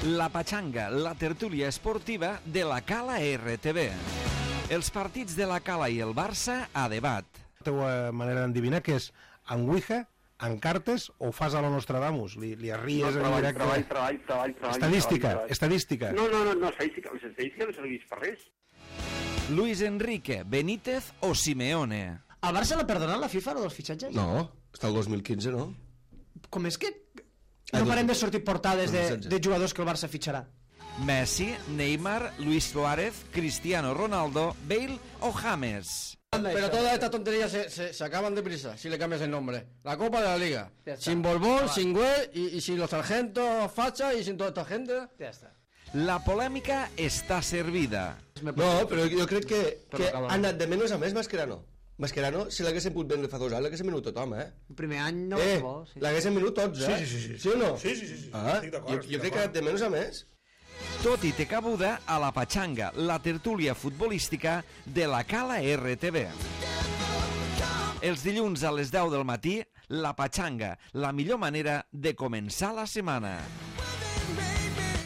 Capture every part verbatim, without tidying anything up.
La Pachanga, la tertúlia esportiva de la Cala R T V. Els partits de la Cala i el Barça a debat. La teva manera d'endevinar que és en Ouija, en cartes o fas a lo Nostradamus? Li, li arries no, en treball, directe? Treball, treball, treball, treball. Estadística, treball, treball. estadística. No, no, no, no, estadística, les estadístiques no serveix per res. Luis Enrique, Benítez o Simeone? El Barça l'ha perdonat la FIFA, o dels fitxatges? No, està el dos mil quinze, no? Com és que no parem de sortir portades de, de jugadors que el Barça fitxarà? Messi, Neymar, Luis Suárez, Cristiano Ronaldo, Bale o James? Pero todas estas tonterías se, se, se acaban deprisa si le cambias el nombre. La Copa de la Liga. Sin Borbón, sin Güell y, y sin los sargentos Facha y sin toda esta gente. Ja està. La polèmica està servida. No, però jo crec que, que ha anat de menys a més Mascherano. Mascherano, si l'haguessin pogut vendre fa dos anys, l'haguessin venut tothom, eh? El primer any no eh, és bo. Sí. L'haguessin venut tots, eh? Sí, sí, sí. Sí o no? Sí, sí, sí. sí. Ah, jo, jo crec que ha anat de menys a més. Tot i té cabuda a la Pachanga, la tertúlia futbolística de la Cala R T V. Els dilluns a les deu del matí, la Pachanga, la millor manera de començar la setmana.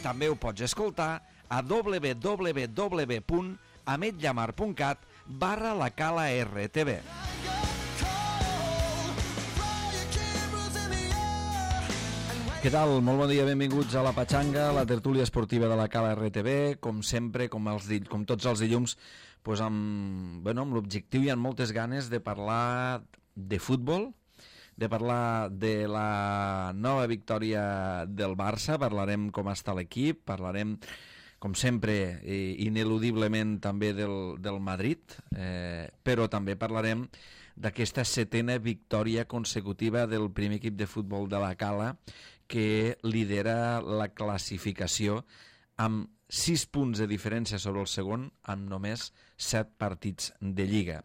També ho pots escoltar a w w w punt ametllamar punt cat barra la Cala R T V. Què tal? Molt bon dia, benvinguts a la Pachanga, la tertúlia esportiva de la Cala R T V, com sempre, com, els, com tots els dilluns, pues amb, bueno, amb l'objectiu i amb moltes ganes de parlar de futbol, de parlar de la nova victòria del Barça, parlarem com està l'equip, parlarem, com sempre, ineludiblement també del, del Madrid, eh, però també parlarem d'aquesta setena victòria consecutiva del primer equip de futbol de la Cala, que lidera la classificació amb sis punts de diferència sobre el segon, amb només set partits de Lliga.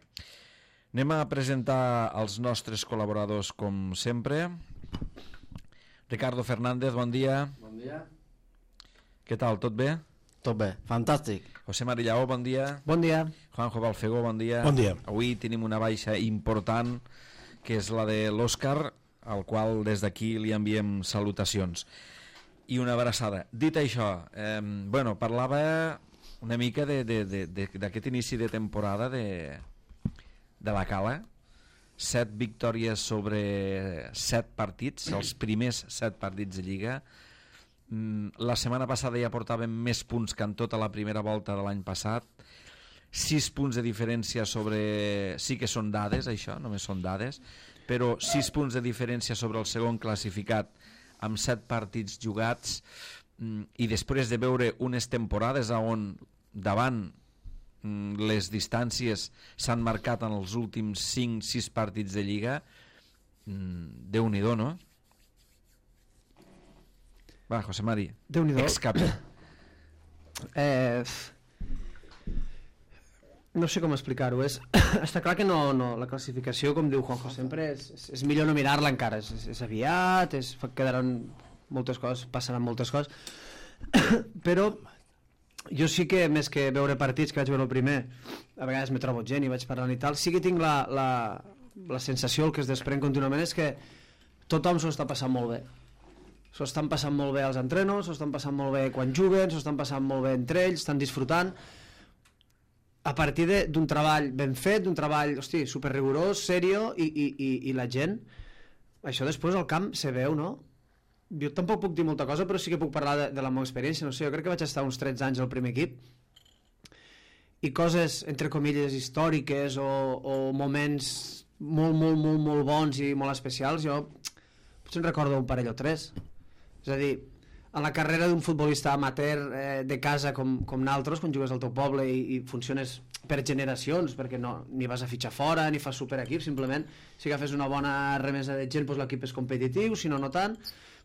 Anem a presentar els nostres col·laboradors com sempre. Ricardo Fernández, bon dia. Bon dia. Què tal, tot bé? Tot bé, fantàstic. José Marillaó, bon dia. Bon dia. Juanjo Balfegó, bon dia. Bon dia. Avui tenim una baixa important, que és la de l'Òscar, al qual des d'aquí li enviem salutacions i una abraçada. Dit això, eh, bueno, parlava una mica d'aquest inici de temporada de, de la Cala. Set victòries sobre set partits, els primers set partits de Lliga. La setmana passada ja portàvem més punts que en tota la primera volta de l'any passat. Sis punts de diferència sobre... Sí que són dades, això, només són dades, però sis punts de diferència sobre el segon classificat amb set partits jugats, i després de veure unes temporades on davant les distàncies s'han marcat en els últims cinc sis partits de Lliga, Déu-n'hi-do, no? Va, José Mari, ex-capi. Eh... No sé com explicar-ho. És... Està clar que no, no, la classificació, com diu Juanjo sempre, és, és, és millor no mirar-la encara. És, és, és aviat, és, quedaran moltes coses, passaran moltes coses. Però jo sí que, més que veure partits, que vaig veure el primer, a vegades me trobo gent i vaig parlant i tal, sí que tinc la, la, la sensació, el que es desprèn contínuament, és que tothom s'ho està passant molt bé. S'ho estan passant molt bé als entrenos, s'ho estan passant molt bé quan juguen, s'ho estan passant molt bé entre ells, estan disfrutant a partir d'un treball ben fet, d'un treball, hosti, superrigorós, serio, i, i, i, i la gent, això després al camp se veu, no? Jo tampoc puc dir molta cosa, però sí que puc parlar de, de la meva experiència, no sé, jo crec que vaig estar uns tretze anys al primer equip, i coses, entre comilles, històriques, o, o moments molt, molt, molt, molt bons i molt especials, jo potser en recordo un parell o tres. És a dir, en la carrera d'un futbolista amateur eh, de casa com, com naltros, quan jugues al teu poble i, i funciones per generacions, perquè no, ni vas a fitxar fora ni fas superequip, simplement si agafes una bona remesa de gent, doncs l'equip és competitiu, si no, no tant,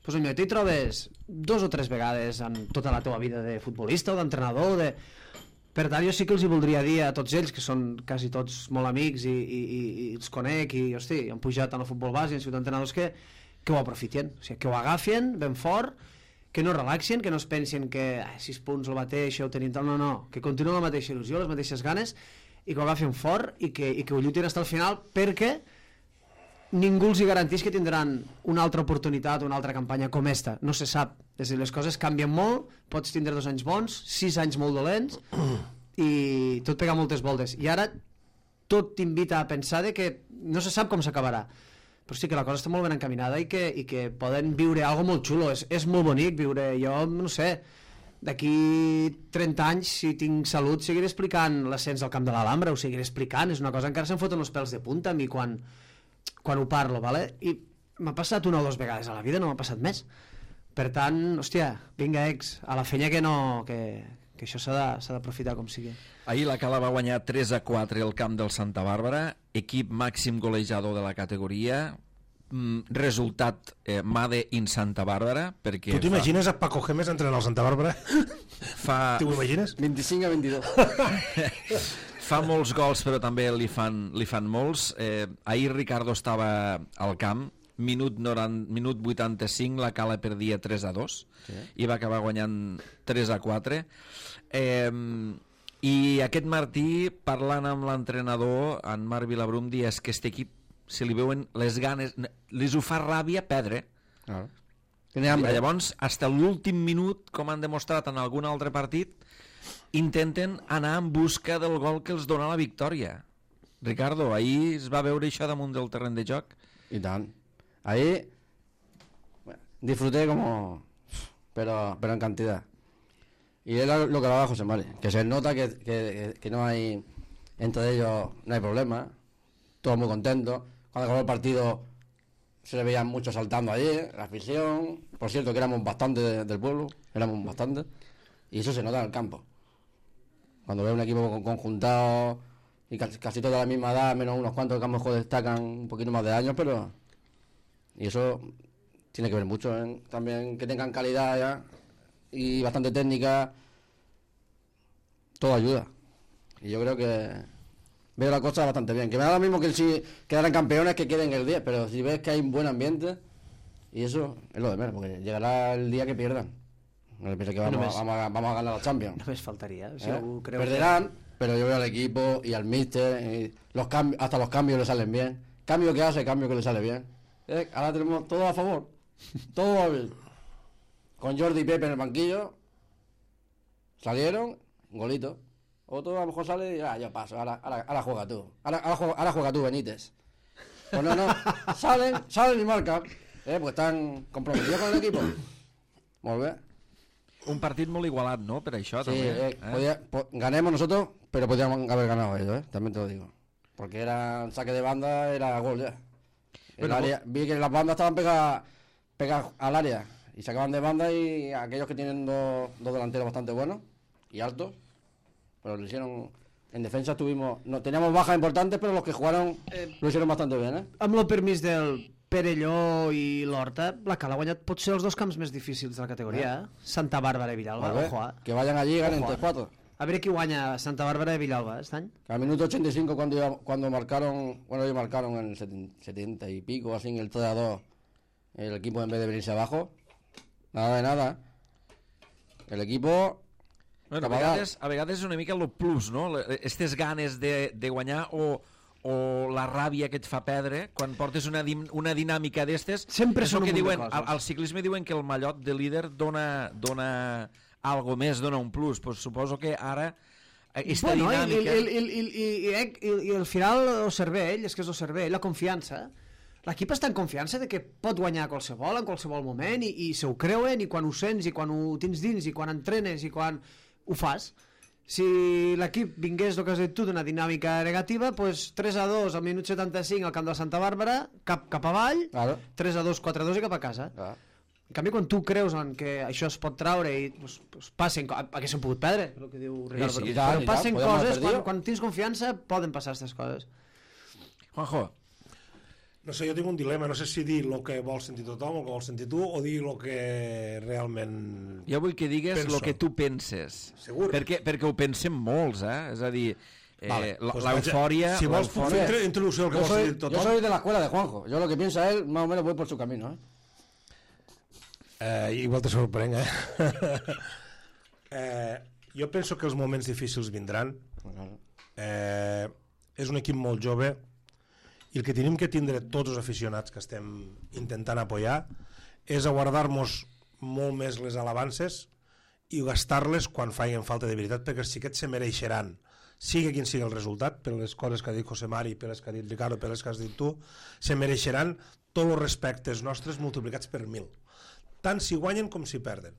doncs allò, t'hi trobes dos o tres vegades en tota la teva vida de futbolista o d'entrenador de... Per tant, jo sí que els hi voldria dir a tots ells, que són quasi tots molt amics i, i, i, i els conec i, hosti, han pujat en el futbol base i han sigut entrenadors, que, que ho aprofitin, o sigui, que ho agafen ben fort, que no relaxin, que no es pensin que ah, sis punts el mateix, ho tenim tal, no, no, que continuïn la mateixa il·lusió, les mateixes ganes, i que ho agafin fort i que, i que ho lluitin fins al final, perquè ningú els hi garantís que tindran una altra oportunitat, una altra campanya com esta. No se sap. És a dir, les coses canvien molt, pots tindre dos anys bons, sis anys molt dolents, i tot pega moltes voltes. I ara tot t'invita a pensar de que no se sap com s'acabarà. Però sí que la cosa està molt ben encaminada i que, i que poden viure algo molt xulo. És, és molt bonic viure. Jo, no sé, d'aquí trenta anys, si tinc salut, seguiré explicant l'ascens al camp de l'Alhambra, ho seguiré explicant. És una cosa, encara se'm foten els pèls de punta a mi quan, quan ho parlo, ¿vale? I m'ha passat una o dues vegades a la vida, no m'ha passat més. Per tant, hòstia, vinga, ex, a la fenya que no... que, que això s'ha d'aprofitar com sigui. Ahir la Cala va guanyar tres a quatre al camp del Santa Bàrbara, equip màxim golejador de la categoria, mm, resultat eh, Made in Santa Bàrbara, perquè... Tu t'imagines fa... a Paco Gémez entrenant al Santa Bàrbara? Fa... T'ho imagines? vint-i-cinc a vint-i-dos. Fa molts gols, però també li fan, li fan molts. Eh, ahir Ricardo estava al camp, minut, noranta, minut vuitanta-cinc, la Cala perdia tres a dos, sí. I va acabar guanyant tres a quatre. Eh, I aquest Martí, parlant amb l'entrenador, en Marc Vilabrum, dia és que aquest equip, si li veuen les ganes, les ho fa ràbia perdre. Ah. I llavors, fins a l'últim minut, com han demostrat en algun altre partit, intenten anar en busca del gol que els dona la victòria. Ricardo, ahir es va veure això damunt del terreny de joc? I tant. Ahí bueno, disfruté como pero pero en cantidad, y es lo que hablaba José Mari, que se nota que, que, que no hay entre ellos, no hay problema, todos muy contentos. Cuando acabó el partido se le veían muchos saltando allí, la afición, por cierto que éramos bastante de, del pueblo, éramos bastante, y eso se nota en el campo cuando ve un equipo conjuntado y casi, casi toda la misma edad, menos unos cuantos que a lo mejor destacan un poquito más de años, pero y eso tiene que ver mucho, ¿eh? También que tengan calidad ya y bastante técnica, todo ayuda. Y yo creo que veo la cosa bastante bien. Que me da lo mismo que si quedaran campeones que queden el diez, pero si ves que hay un buen ambiente, y eso es lo de menos, porque llegará el día que pierdan. No le pienso que vamos, no vamos, a, vamos a ganar la Champions. No me faltaría. Si ¿Eh? Creo Perderán, que... pero yo veo al equipo y al míster, y los cambios, hasta los cambios le salen bien. Cambio que hace, cambio que le sale bien. ¿Eh? Ahora tenemos todo a favor, todo va bien. Con Jordi y Pepe en el banquillo salieron, golito. Otro a lo mejor sale y ah, yo paso, ahora, ahora, ahora juega tú, ahora, ahora, juega, ahora juega tú, Benítez. Pues no, no, salen, salen y marcan, eh, pues están comprometidos con el equipo. Molt bé. Un partit molt igualat, ¿no? Per això, sí, també. Eh, eh? Podía, po, ganemos nosotros, pero podríamos haber ganado ellos, ¿eh? También te lo digo. Porque era saque de banda, era gol ya. Bueno, área, vi que las bandas estaban pegadas pegadas al área y sacaban de banda, y aquellos que tienen dos, dos delanteros bastante buenos y altos, pero lo hicieron. En defensa tuvimos, no teníamos bajas importantes, pero los que jugaron eh, lo hicieron bastante bien, ¿eh? Amb el permís del Perelló i l'Horta, la Cala ha guanyat potser els dos camps més difícils de la categoria, eh? Santa Bàrbara i Villalba, ver, ojo, eh? Que vayan allí y ganen tres cuatro. A ver qui guanya Santa Bàrbara i Villalba este any. Al minuto ochenta y cinco, cuando, iba, cuando marcaron, bueno, ellos marcaron en el setenta y pico, así en el tres a dos, el equipo en vez de venirse abajo, nada de nada. El equipo... Bueno, a vegades, a vegades és una mica el plus, no? Estes ganes de, de guanyar o, o la ràbia que et fa perdre quan portes una, una dinàmica d'estes. Sempre són un que munt diuen, de coses. Al, al ciclisme diuen que el mallot de líder dona, dona algo més, dona un plus. Pues suposo que ara aquesta bueno, dinàmica... I, i, i, i, i, i, i al final el cervell, és que és el cervell, la confiança. L'equip està en confiança de que pot guanyar qualsevol en qualsevol moment, i, i se ho creuen, i quan ho sents, i quan ho tens dins, i quan entrenes, i quan ho fas. Si l'equip vingués, el que has dit tu, d'una dinàmica negativa, pues tres a dos al minut setanta-cinc al camp de Santa Bàrbara, cap, cap avall, claro. tres a dos, quatre a dos i cap a casa. Claro. En canvi, quan tu creus en que això es pot traure i pues, pues, passen... Haguéssim pogut perdre, el que diu Ricardo, sí, sí, però, però passen coses, quan, quan tens confiança poden passar aquestes coses. Juanjo. No sé, jo tinc un dilema, no sé si dir el que vol sentir tothom, el que vol sentir tu, o dir el que realment... Jo vull que digues el que tu penses. Segur? Perquè, perquè ho pensem molts, eh? És a dir, eh, vale, pues l'eufòria... Si vols puc fer introducció al que vol sentir tothom... Yo soy de la escuela de Juanjo, yo lo que piensa él, más o menos voy por su camino, ¿eh? Eh, igual te sorprenc, eh? eh? Jo penso que els moments difícils vindran. Eh, és un equip molt jove i el que tenim que tindre tots els aficionats que estem intentant apoyar és a guardar-nos molt més les alabances i gastar-les quan facin falta de veritat, perquè els xiquets se mereixeran, sigui quin sigui el resultat, per les coses que ha dit José Mari, per les que ha dit Ricardo, per les que has dit tu, se mereixeran tots els respectes nostres multiplicats per mil, tant si guanyen com si perden.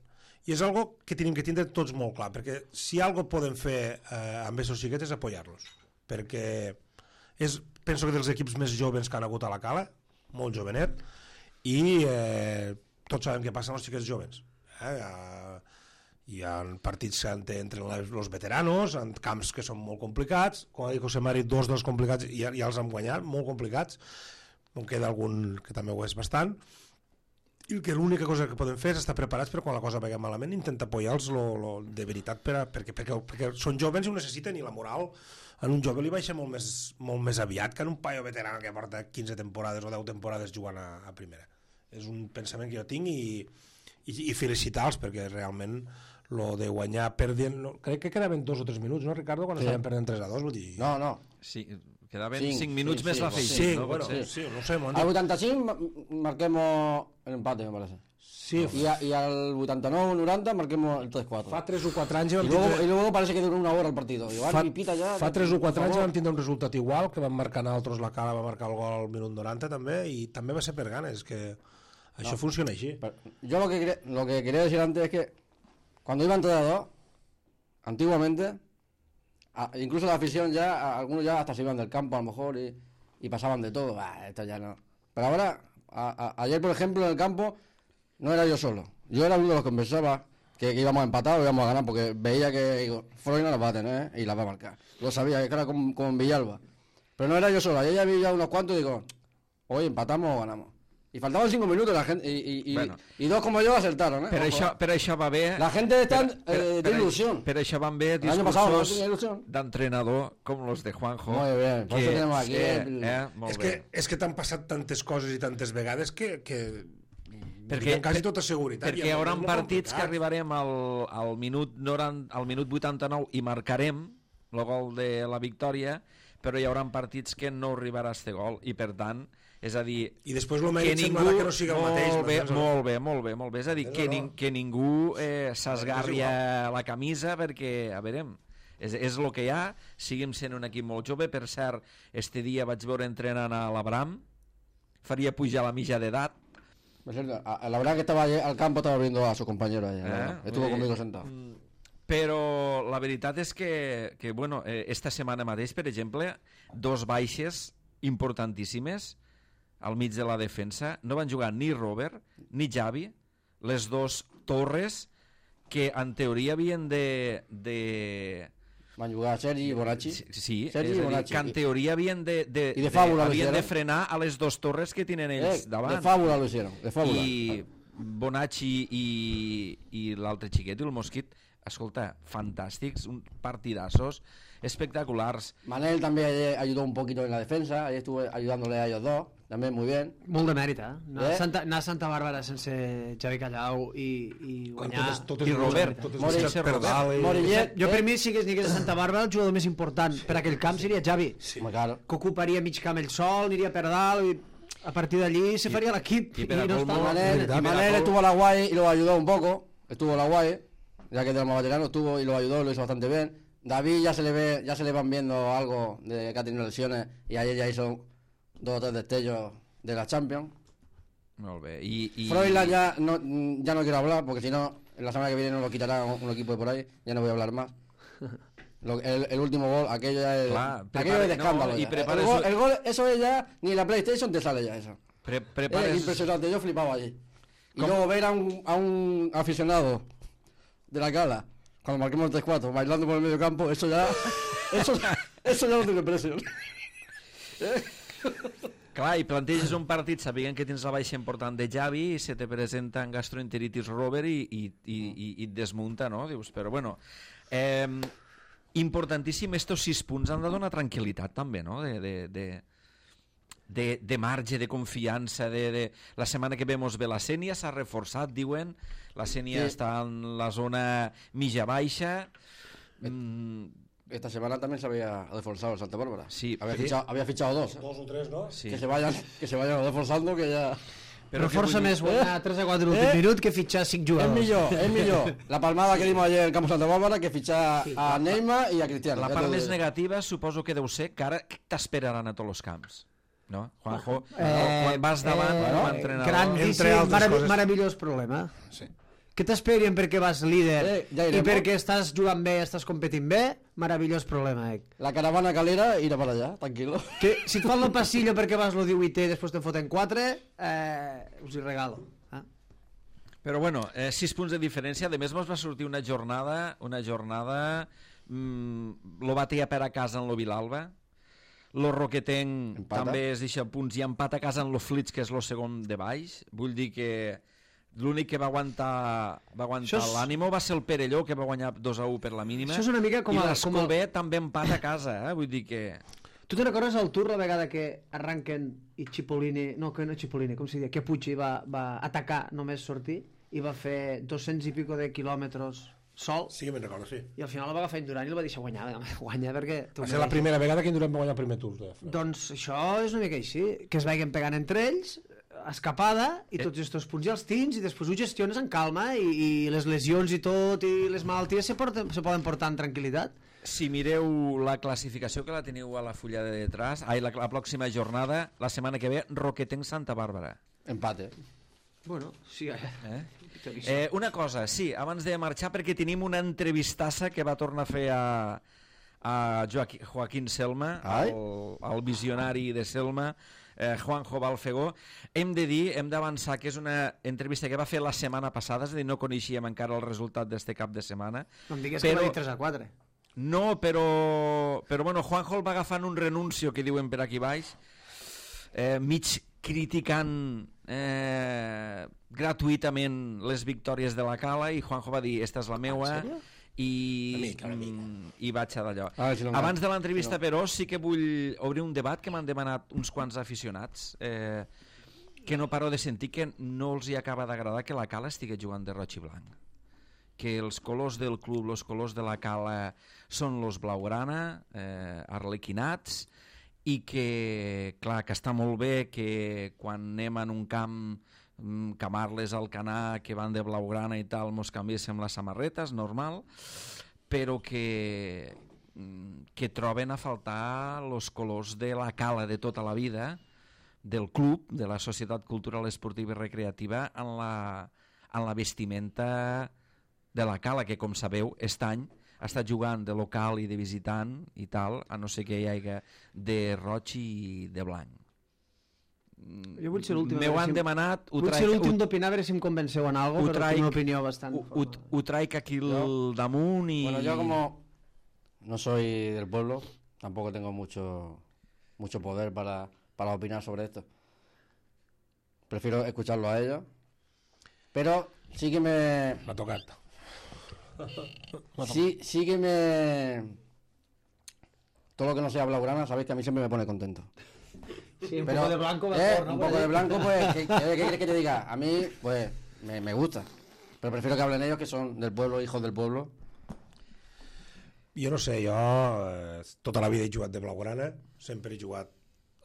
I és algo que tenim que tindre tots molt clar, perquè si algo poden fer eh, amb aquests xiquets és apoyar-los, perquè és, penso que dels equips més joves que han hagut a la Cala, molt jovenet, i eh, tots sabem què passa amb els xiquets joves. Eh? Hi ha partits entre els veteranos, en camps que són molt complicats, com ha dit José Mari, dos dels complicats ja, ja els han guanyat, molt complicats, on queda algun que també ho és bastant, i que l'única cosa que podem fer és estar preparats per quan la cosa vagi malament, intentar apoyar-los lo, lo, de veritat per a, perquè, perquè, perquè són joves i ho necessiten, i la moral en un jove li baixa molt més, molt més aviat que en un paio veterà que porta quinze temporades o deu temporades jugant a, a primera. És un pensament que jo tinc, i, i, i felicitar-los, perquè realment lo de guanyar perdent, no, crec que quedaven dos o tres minuts, no, Ricardo, quan sí. estaven perdent tres a dos, vull dir... No, no. Sí, quedaven cinc, cinc minuts sí, més sí, la feina. Sí, no? bueno, Sí. sí, no sé, Al vuitanta-cinc marquemos el empate, me parece. Sí, Y, a, y al ochenta y nueve noventa marquemos el tres cuatro. fa tres o quatre anys Y vam luego, tindre... y luego parece que duró una hora el partido. Igual, Fa, y pita ya, fa tres o quatre por anys favor. vam tindre un resultat igual, que vam marcar nosaltres, la Cala va marcar el gol al minut noranta també, i també va ser per ganes, que això No. funciona així. Pero yo lo que, quería, lo que quería decir antes es que cuando iban tres a dos, antiguamente, a, incluso la afición ya, a, algunos ya hasta se iban del campo a lo mejor y, y pasaban de todo. Bah, esto ya no. Pero ahora, a, a, ayer por ejemplo en el campo, no era yo solo. Yo era uno de los que pensaba que, que íbamos a empatar o íbamos a ganar, porque veía que digo, Freud no la va a tener, ¿eh? Y la va a marcar. Lo sabía, que era como, como en Villalba. Pero no era yo solo. Ayer ya vi ya unos cuantos y digo, hoy empatamos o ganamos. Y faltaban cinco minutos la gente, y, y, y, Bueno. y dos como yo acertaron, ¿eh? Per Ojo, això, eh. per això va bé... La gente está per, per, eh, per, de ilusión. Per això van bé El año pasado no discursos tenía ilusión. d'entrenador com los de Juanjo. Muy bien, por eso tenemos aquí eh, el- eh, molt És bé. que, és que t'han passat tantes coses i tantes vegades que, que Perquè, amb quasi tota seguretat. perquè hi haurà partits que arribarem al, al, minut noranta, al minut vuitanta-nou i marcarem el gol de la victòria, però hi haurà partits que no arribarà este gol, i per tant, és a dir... I després el mèrit semblarà que no sigui el mateix. Molt bé, m'entens, o no? molt bé, molt bé, molt bé. És a dir, No, que, no. nin, que ningú eh, s'esgarri És a la camisa perquè, a veure, és, és el que hi ha, seguim sent un equip molt jove. Per cert, este dia vaig veure entrenant a l'Abram, faria pujar la mitja d'edat. Por cierto, a- a la verdad que estaba ayer al campo, estaba viendo a su compañero allá. la Eh? verdad. Estuvo Vull dir, conmigo sentado. mm, Però la veritat és que, que bueno, eh, esta setmana mateix, per exemple, dos baixes importantíssimes al mig de la defensa. No van jugar ni Robert ni Xavi, les dos torres que en teoria havien de... de Van a jugar Sergi y Bonacci. Sí, sí, Sergi és i a dir, Bonacci. que en teoria havien de, de, I de fàbula lo havien de hicieron. frenar a les dos torres que tenen ells Eh, davant. de fábula lo hicieron, de fábula. I Bonacci i, i l'altre xiquet, el Mosquit, escolta, fantàstics, un partidassos espectaculars. Manel también ayer ayudó un poquito en la defensa, ayer estuve ayudándole a ellos dos, también muy bien. Molt de mèrit, eh? Anar, Eh? a Santa, anar a Santa Bàrbara sense Xavi Callau i, i Quan guanyar... totes, totes I les- Robert, totes Mori- les per dalt i- Morillet, Jo per eh, mi, si que anés a Santa Bàrbara, el jugador més important per aquell camp seria Xavi, Sí. Hombre, claro. que ocuparia mig camp ell sol, aniria per dalt, i a partir d'allí se faria l'equip. i per a no colmo- Y està- Manel, verdad, y mira, Manel todo- estuvo a la guay y lo ayudó un poco, estuvo a la guay, ya que tenemos veteranos, estuvo y lo ayudó, lo hizo bastante bien. David ya se le ve, ya se le van viendo algo de que ha tenido lesiones y ayer ya hizo dos o tres destellos de la Champions. Molt bé. I, i... Froilán ya no, ya no quiero hablar porque si no, la semana que viene nos lo quitará un, un equipo de por ahí, ya no voy a hablar más. Lo- el, el último gol, aquello ya es, Claro, aquello prepare- es de escándalo. no, y ya. prepare el, gol, su- el gol, eso es ya, ni en la PlayStation te sale ya eso. Pre Es prepares... impresionante, yo flipaba allí. Y ¿Cómo? luego ver a un, a un aficionado de la Cala, cuando marquemos el tres cuatro, bailando por el medio campo, eso ya, eso, eso ya no tiene precio. Clar, i planteges un partit sabent que tens la baixa important de Xavi i se te presenta en gastroenteritis Robert i, i, i, i, i et desmunta, no? Dius, però bueno... Eh, importantíssim, estos sis punts han de donar tranquil·litat també, no? De, de, de, de, de marge, de confiança, de, de... La setmana que vemos ve la Sènia, s'ha reforçat, diuen, la Sènia Sí. està en la zona mitja-baixa, mm, esta semana también se había reforzado el Santa Bárbara. Sí, había, sí. Fichado, había fichado dos. Dos o tres, no? Sí. Que se vayan, que se vayan reforzando, que ya... Però què força vull dir? més guanyar tres a quatre l'últim Eh? minut que fitxar cinc Es jugadors. millor, es millor. La palmada que dimos ayer en el campo Santa Bárbara que fichar a Neymar y a Cristiano. La Ya part te més digo. negativa suposo que deu ser que ara t'esperaran a tots els camps. No? Juanjo, Eh, quan vas davant eh, com a eh, entrenador... Entre grandíssim, altres marav coses. meravellós problema. Sí. Que t'esperien perquè vas líder Eh, ja i irem, perquè no? estàs jugant bé, estàs competint bé, meravellós problema. Eh? La caravana calera irá para allá, tranquilo. Que si et fan el passillo perquè vas lo divuitè i després te'n foten quatre, eh, us hi regalo. Eh? Però bueno, eh, sis punts de diferència. A més, mos va sortir una jornada, una jornada... Mmm, lo va triar per a casa en lo Vilalba. Lo Roquetenc Empata. també es deixa punts i empat a casa en lo Flits, que és lo segon de baix. Vull dir que l'únic que va aguantar, va aguantar Això és- l'ànimo va ser el Perelló, que va guanyar dos a u per la mínima. Això és una mica com I el- l'Escolbé també empat a casa, eh? Vull dir que... Tu te'n recordes el Tour la vegada que arranquen i Cipollini, no, que no Cipollini, com s'hi diu, que Puig va, va atacar només sortir i va fer dos-cents i pico de quilòmetres sol Sí que me'n recordo, sí. i al final el va agafar Indurant i el va deixar guanyar, guanya perquè... tu Va ser la mereixes. primera vegada que Indurant va guanyar el primer Tour. De França. Doncs això és una mica així, que es vagin pegant entre ells, escapada, i tots aquests punts ja els tens, i després ho gestiones en calma, i, i les lesions i tot, i les malalties se, porten, se poden portar en tranquil·litat. Si mireu la classificació, que la teniu a la fulla de detrás, ai, la, la pròxima jornada, la setmana que ve, Roquetenc Santa Bàrbara. Empate. Bueno, sí, eh? Eh? Eh, una cosa, sí, abans de marxar, perquè tenim una entrevistassa que va tornar a fer a, a Joaquín, Joaquín Selma, Ai. el, el visionari de Selma, eh, Juanjo Balfegó. Hem de dir, hem d'avançar que és una entrevista que va fer la setmana passada, és a dir, no coneixíem encara el resultat d'este cap de setmana. No em digues Però- que va dir tres a quatre. No, però, però bueno, Juanjo el va agafant un renuncio, que diuen per aquí baix, eh, mig criticant eh, gratuïtament les victòries de la Cala, i Juanjo va dir, esta és la meua, i, Una mica, una mica. mm, i vaig a d'allò. A veure si no em Abans cal. de l'entrevista, Si no. però, sí que vull obrir un debat que m'han demanat uns quants aficionats, eh, que no paro de sentir que no els hi acaba d'agradar que la Cala estigui jugant de roig i blanc, que els colors del club, els colors de la Cala són los blaugrana, eh, arlequinats, i que, clar, que està molt bé que quan anem en un camp, mm, Camarles, Alcanar, que van de blaugrana i tal, mos canviéssim les samarretes, normal, però que, mm, que troben a faltar els colors de la Cala de tota la vida, del club, de la Societat Cultural Esportiva i Recreativa, en la, en la vestimenta de la Cala, que, com sabeu, aquest any ha estat jugant de local i de visitant i tal, a no ser que hi hagi de roig i de blanc. Jo vull ser l'últim. a M'ho veure han si em- demanat, ho Vull traic, ser l'últim ho, d'opinar, a veure si em convenceu en algo, ho però traic- tinc una opinió bastant... ho, ho, ho traic aquí al damunt i... Bueno, yo como no soy del pueblo, tampoco tengo mucho mucho poder para, para opinar sobre esto. Prefiero escucharlo a ellos. Pero sí que me... M'ha tocat. Sí, sí que me... Todo lo que no sea blaugrana, sabéis que a mí siempre me pone contento. Sí, un Pero, poco de blanco eh, mejor, ¿no? un poco de blanco, pues, ¿qué, qué, qué quieres que te diga? A mí, pues, me, me gusta. Pero prefiero que hablen ellos, que son del pueblo, hijos del pueblo. Jo no sé, jo eh, tota la vida he jugat de blaugrana, sempre he jugat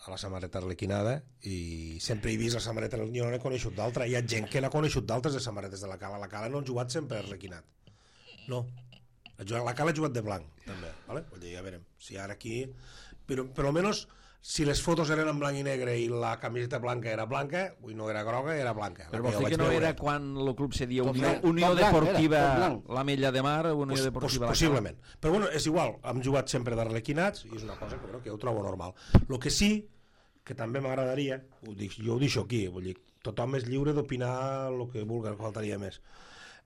a la samarreta arlequinada i sempre he vist la samarreta, jo no n'he coneixut d'altra, hi ha gent que n'ha coneixut d'altres de samarretes de la Cala, la Cala no han jugat sempre arlequinat, no, la Cala ha jugat de blanc també, vale? Vull dir, ja veurem, si ara aquí, però per almenys si les fotos eren en blanc i negre i la camiseta blanca era blanca, vull no era groga, era blanca. La Però que vol jo dir vaig que no veure. era quan el club se dia Tot Unió, blanc, Unió tot blanc, Deportiva era, tot blanc. la Mella de Mar, Unió Pues, Deportiva pues, la Cala. possiblement, però bueno, és igual, hem jugat sempre d'arlequinats i és una cosa que, bueno, que jo ho trobo normal. El que sí, que també m'agradaria, ho dic, jo ho deixo aquí, vull dir, tothom és lliure d'opinar el que vulgui, faltaria més.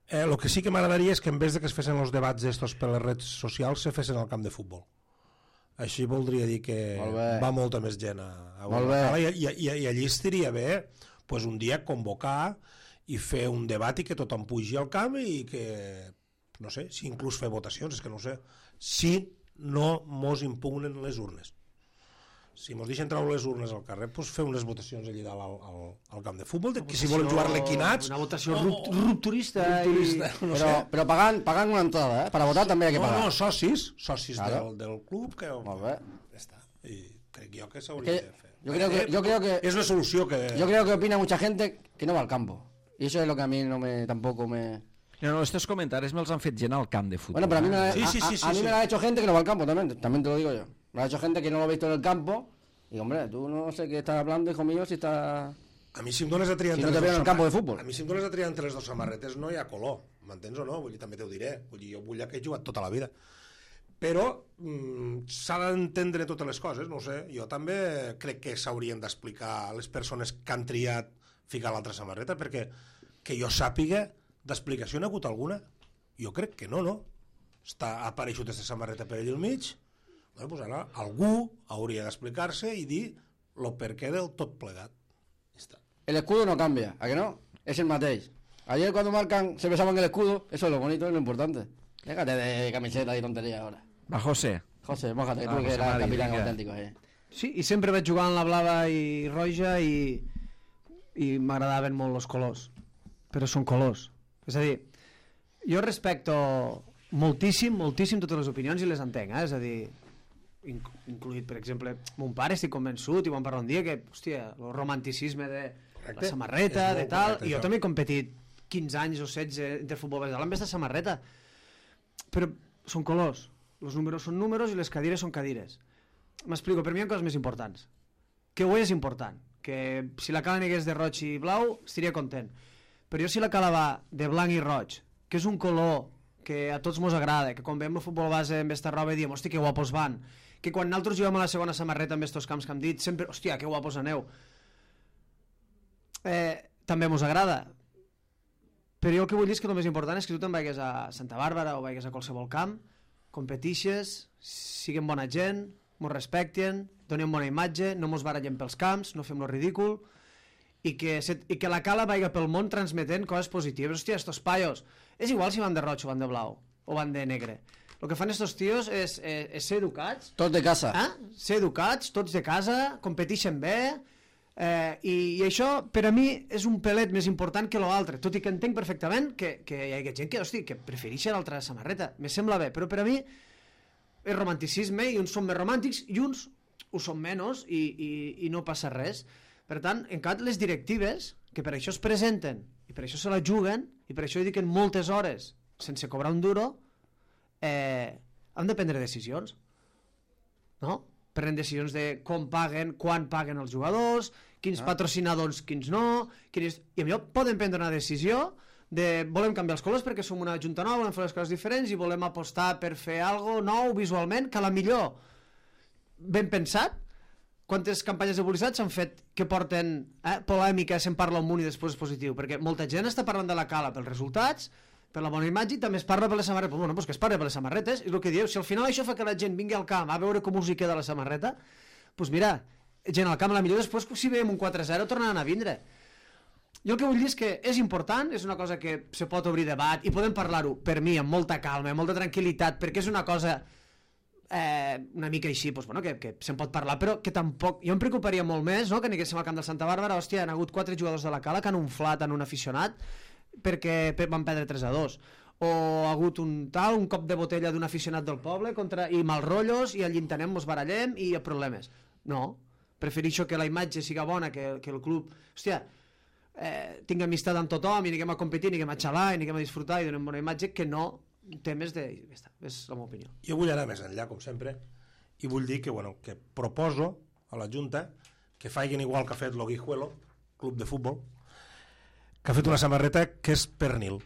Eh, el que sí que m'agradaria és que en vez de que es fessin els debats estos per les redes socials, se fessin al camp de futbol. Així voldria dir que Molt bé. va molta més gent a, a Molt veure la bé. Cala i, i, i, i allí estaria bé pues, un dia convocar i fer un debat i que tothom pugi al camp i que, no sé, si inclús fer votacions, és que no ho sé, si no mos impugnen les urnes. si mos deixen treure les urnes al carrer, doncs fer unes votacions allà dalt al, al, al camp de futbol, de que si volen jugar l'equinats... Una votació rupt, rupturista. Rupturista, I... no Però, sé. però pagant, pagant una entrada, eh? Per a votar també hi ha que No, pagar. no, socis, socis Claro. del, del club, que... Molt bé. Ja està. I crec jo que s'hauria Que- de fer. yo creo que- yo creo que- És una solució que... Yo creo que opina mucha gente que no va al campo. Y eso es lo que a mí no me, tampoco me... No, no, estos comentaris me'ls han fet gent al camp de futbol. Bueno, pero a mí, me, la- Sí, a, sí, sí, a- sí, a mí sí. me lo ha hecho gente que no va al campo también, también te lo digo yo. Me lo ha hecho gente que no lo ha visto en el campo. Y hombre, tú no sé qué estás hablando, hijo mío, si estás... A mi si em dones a triar Si entre no te les veo en dos el campo de samar- fútbol. A mi si em dones a triar entre les dues samarretes no hi ha color, m'entens o no? Vull dir, també t'ho diré. Vull dir, jo vull que he jugat tota la vida. Però mm, s'ha d'entendre totes les coses, no ho sé. Jo també crec que s'haurien d'explicar a les persones que han triat ficar l'altra samarreta, perquè que jo sàpiga d'explicació n'ha hagut alguna. Jo crec que no, no? Està, ha apareixut aquesta samarreta per allà al mig, bueno, pues ara algú hauria d'explicar-se i dir el perquè del tot plegat. Ja està. El escudo no cambia, ¿a que no? Es el mateix. Ayer cuando marcan, se besaban el escudo, eso es lo bonito y lo importante. Déjate de camiseta y tontería ahora. Va, José. José, mójate, que Va, tú que José eres el Mari, capitán vinga. auténtico. Eh. Sí, i sempre vaig jugar en la blava i roja i, i m'agradaven molt els colors. Però són colors. És a dir, jo respecto moltíssim, moltíssim totes les opinions i les entenc, eh? És a dir, inc incluït, per exemple, mon pare, estic convençut, i vam parlar un dia que, hòstia, el romanticisme de Correcte. la samarreta, És de molt tal, correcte, i jo això. també he competit quinze anys o setze de futbol base amb aquesta samarreta, però són colors, els números són números i les cadires són cadires. M'explico, per mi hi ha coses més importants. Que ho és important, que si la cala n'hagués de roig i blau estaria content, però jo si la cala va de blanc i roig, que és un color que a tots mos agrada, que quan veiem el futbol base amb esta roba diem, hòstia, que guapos van, que quan nosaltres juguem a la segona samarreta amb estos camps que hem dit, sempre, hòstia, que guapos aneu. Eh, també mos agrada, però jo el que vull dir és que el més important és que tu te'n vagis a Santa Bàrbara o vagis a qualsevol camp, competixes, siguem bona gent, mos respecten, donem bona imatge, no mos barallem pels camps, no fem lo ridícul, i que, se, i que la cala vaiga pel món transmetent coses positives. Hòstia, estos paios, és igual si van de roig o van de blau, o van de negre. El que fan estos tios és, és, és ser educats, Tots de casa. eh? ser educats, tots de casa, competixen bé, eh, i, i això per a mi és un pelet més important que l'altre, tot i que entenc perfectament que, que hi ha gent que, hosti, que prefereix l'altra samarreta, me sembla bé, però per a mi és romanticisme i uns són més romàntics i uns ho són menys i, i, i no passa res. Per tant, en cap les directives, que per això es presenten i per això se la juguen i per això hi dediquen moltes hores sense cobrar un duro, eh, han de prendre decisions, no? Prenen decisions de com paguen, quan paguen els jugadors, quins ah. patrocinadors, quins no, quins... i millor poden prendre una decisió de volem canviar els colors perquè som una junta nova, volem fer les coses diferents i volem apostar per fer algo nou visualment, que a la millor ben pensat. Quantes campanyes de publicitat s'han fet que porten eh, polèmica, se'n parla un munt i després és positiu, perquè molta gent està parlant de la cala pels resultats, per la bona imatge, i també es parla per les samarretes. Bueno, pues que es parla per les samarretes, és el que dieu. Si al final això fa que la gent vingui al camp a veure com us hi queda la samarreta, doncs pues mira, gent al camp, a la millor després, si veiem un quatre zero, tornaran a vindre. Jo el que vull dir és que és important, és una cosa que se pot obrir debat i podem parlar-ho, per mi, amb molta calma, amb molta tranquil·litat, perquè és una cosa eh, una mica així, doncs, bueno, que, que se'n pot parlar, però que tampoc... Jo em preocuparia molt més, no?, que anéssim al camp del Santa Bàrbara, hòstia, han hagut quatre jugadors de la Cala que han unflat en un aficionat perquè van perdre tres a dos. O ha hagut un tal, un cop de botella d'un aficionat del poble contra, i mal rotllos, i allí entenem, mos barallem i hi ha problemes. No, prefereixo que la imatge siga bona, que, que el club... Hòstia, eh, tinc amistat amb tothom i anem a competir, anem a xalar i anem a disfrutar i donem bona imatge, que no temes de... Ja està, és la meva opinió. Jo vull anar més enllà, com sempre, i vull dir que, bueno, que proposo a la Junta que facin igual que ha fet l'Oguijuelo, club de futbol, que ha fet una samarreta que és pernil.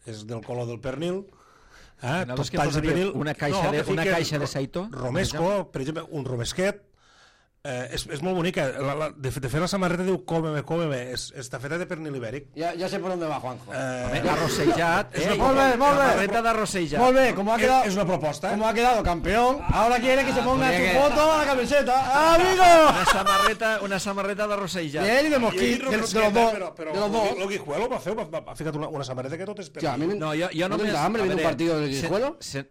És del color del pernil, eh? No, Tot que talls de posaria pernil. una caixa de- que una fiquen caixa de ro- Saito, Romesco, per exemple, un romesquet. Eh, és, és molt bonica. La, la, de, de fet, la samarreta diu cómeme, cómeme. És, està feta de pernil ibèric. Ya, ya sé por dónde va, Juanjo. Eh, Arrossejat, és eh? una Molt bé, molt bé. Samarreta d'arrossejat. Muy bien, como ha és, quedado, és una proposta. como ha quedado campeón, ahora quiere que se ponga podría su que- foto a la camiseta. ¡Amigo! Una samarreta, una samarreta d'arrossejat. Bien, y de Jo he mosquit, dit de, de los romesqueta, dos. Però, però de los dos. l'Oguijuelo va fer, va, va, ha ficat una, una samarreta que tot és Hòstia, a mi pernil. me- No, jo, jo ¿No només... tendrá hambre a viendo un veure, partido del se- Guijuelo? se-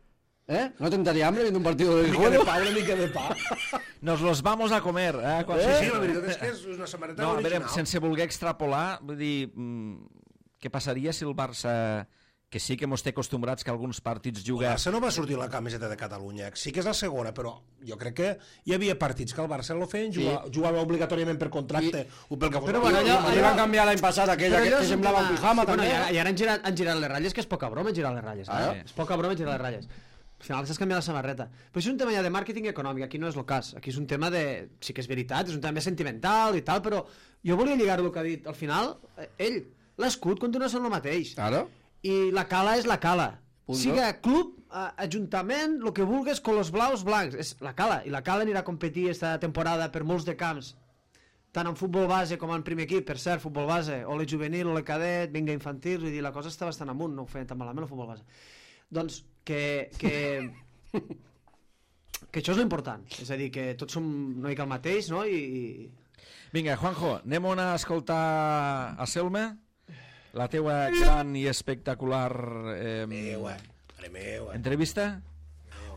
¿Eh? ¿No tendría hambre viendo un partido de Mica de juego? pa, una mica de pa. Nos los vamos a comer. Eh? Quan... Sí, sí, la veritat és que és una samarreta No, a veure, original. sense voler extrapolar, vull dir, mm, què passaria si el Barça, que sí que mos té acostumbrats que alguns partits El juga... Barça no va sortir la camiseta de Catalunya. Sí que és la segona, però jo crec que hi havia partits que el Barça lo feien, jugava, jugava obligatòriament per contracte o pel que fos. Però bueno, allò- Li van canviar l'any passat aquella Però que, allò que és un semblava un tema- pijama sí, bueno, també. i ara, i ara han, girat, han girat les ratlles, que és poca broma girar les ratlles. Ah, eh? És poca broma girar les ratlles. Al final s'has canviat la samarreta. Però això és un tema ja de màrqueting econòmic, aquí no és el cas. Aquí és un tema de... Sí que és veritat, és un tema més sentimental i tal, però jo volia lligar-ho el que ha dit. Al final, eh, ell, l'escut continua sent el mateix. Claro. I la cala és la cala. Punto. Siga club, eh, ajuntament, el que vulgues, colors blaus, blancs. És la cala. I la cala anirà a competir esta temporada per molts de camps, tant en futbol base com en primer equip, per cert, futbol base, o le juvenil, o le cadet, vinga infantil, vull dir, la cosa està bastant amunt, no ho feien tan malament el futbol base. Doncs que, que, que això és l'important, és a dir, que tots som una mica el mateix, no? I, i... Vinga, Juanjo, anem a escoltar a Selma, la teua gran i espectacular eh, Meua, mare meua. entrevista.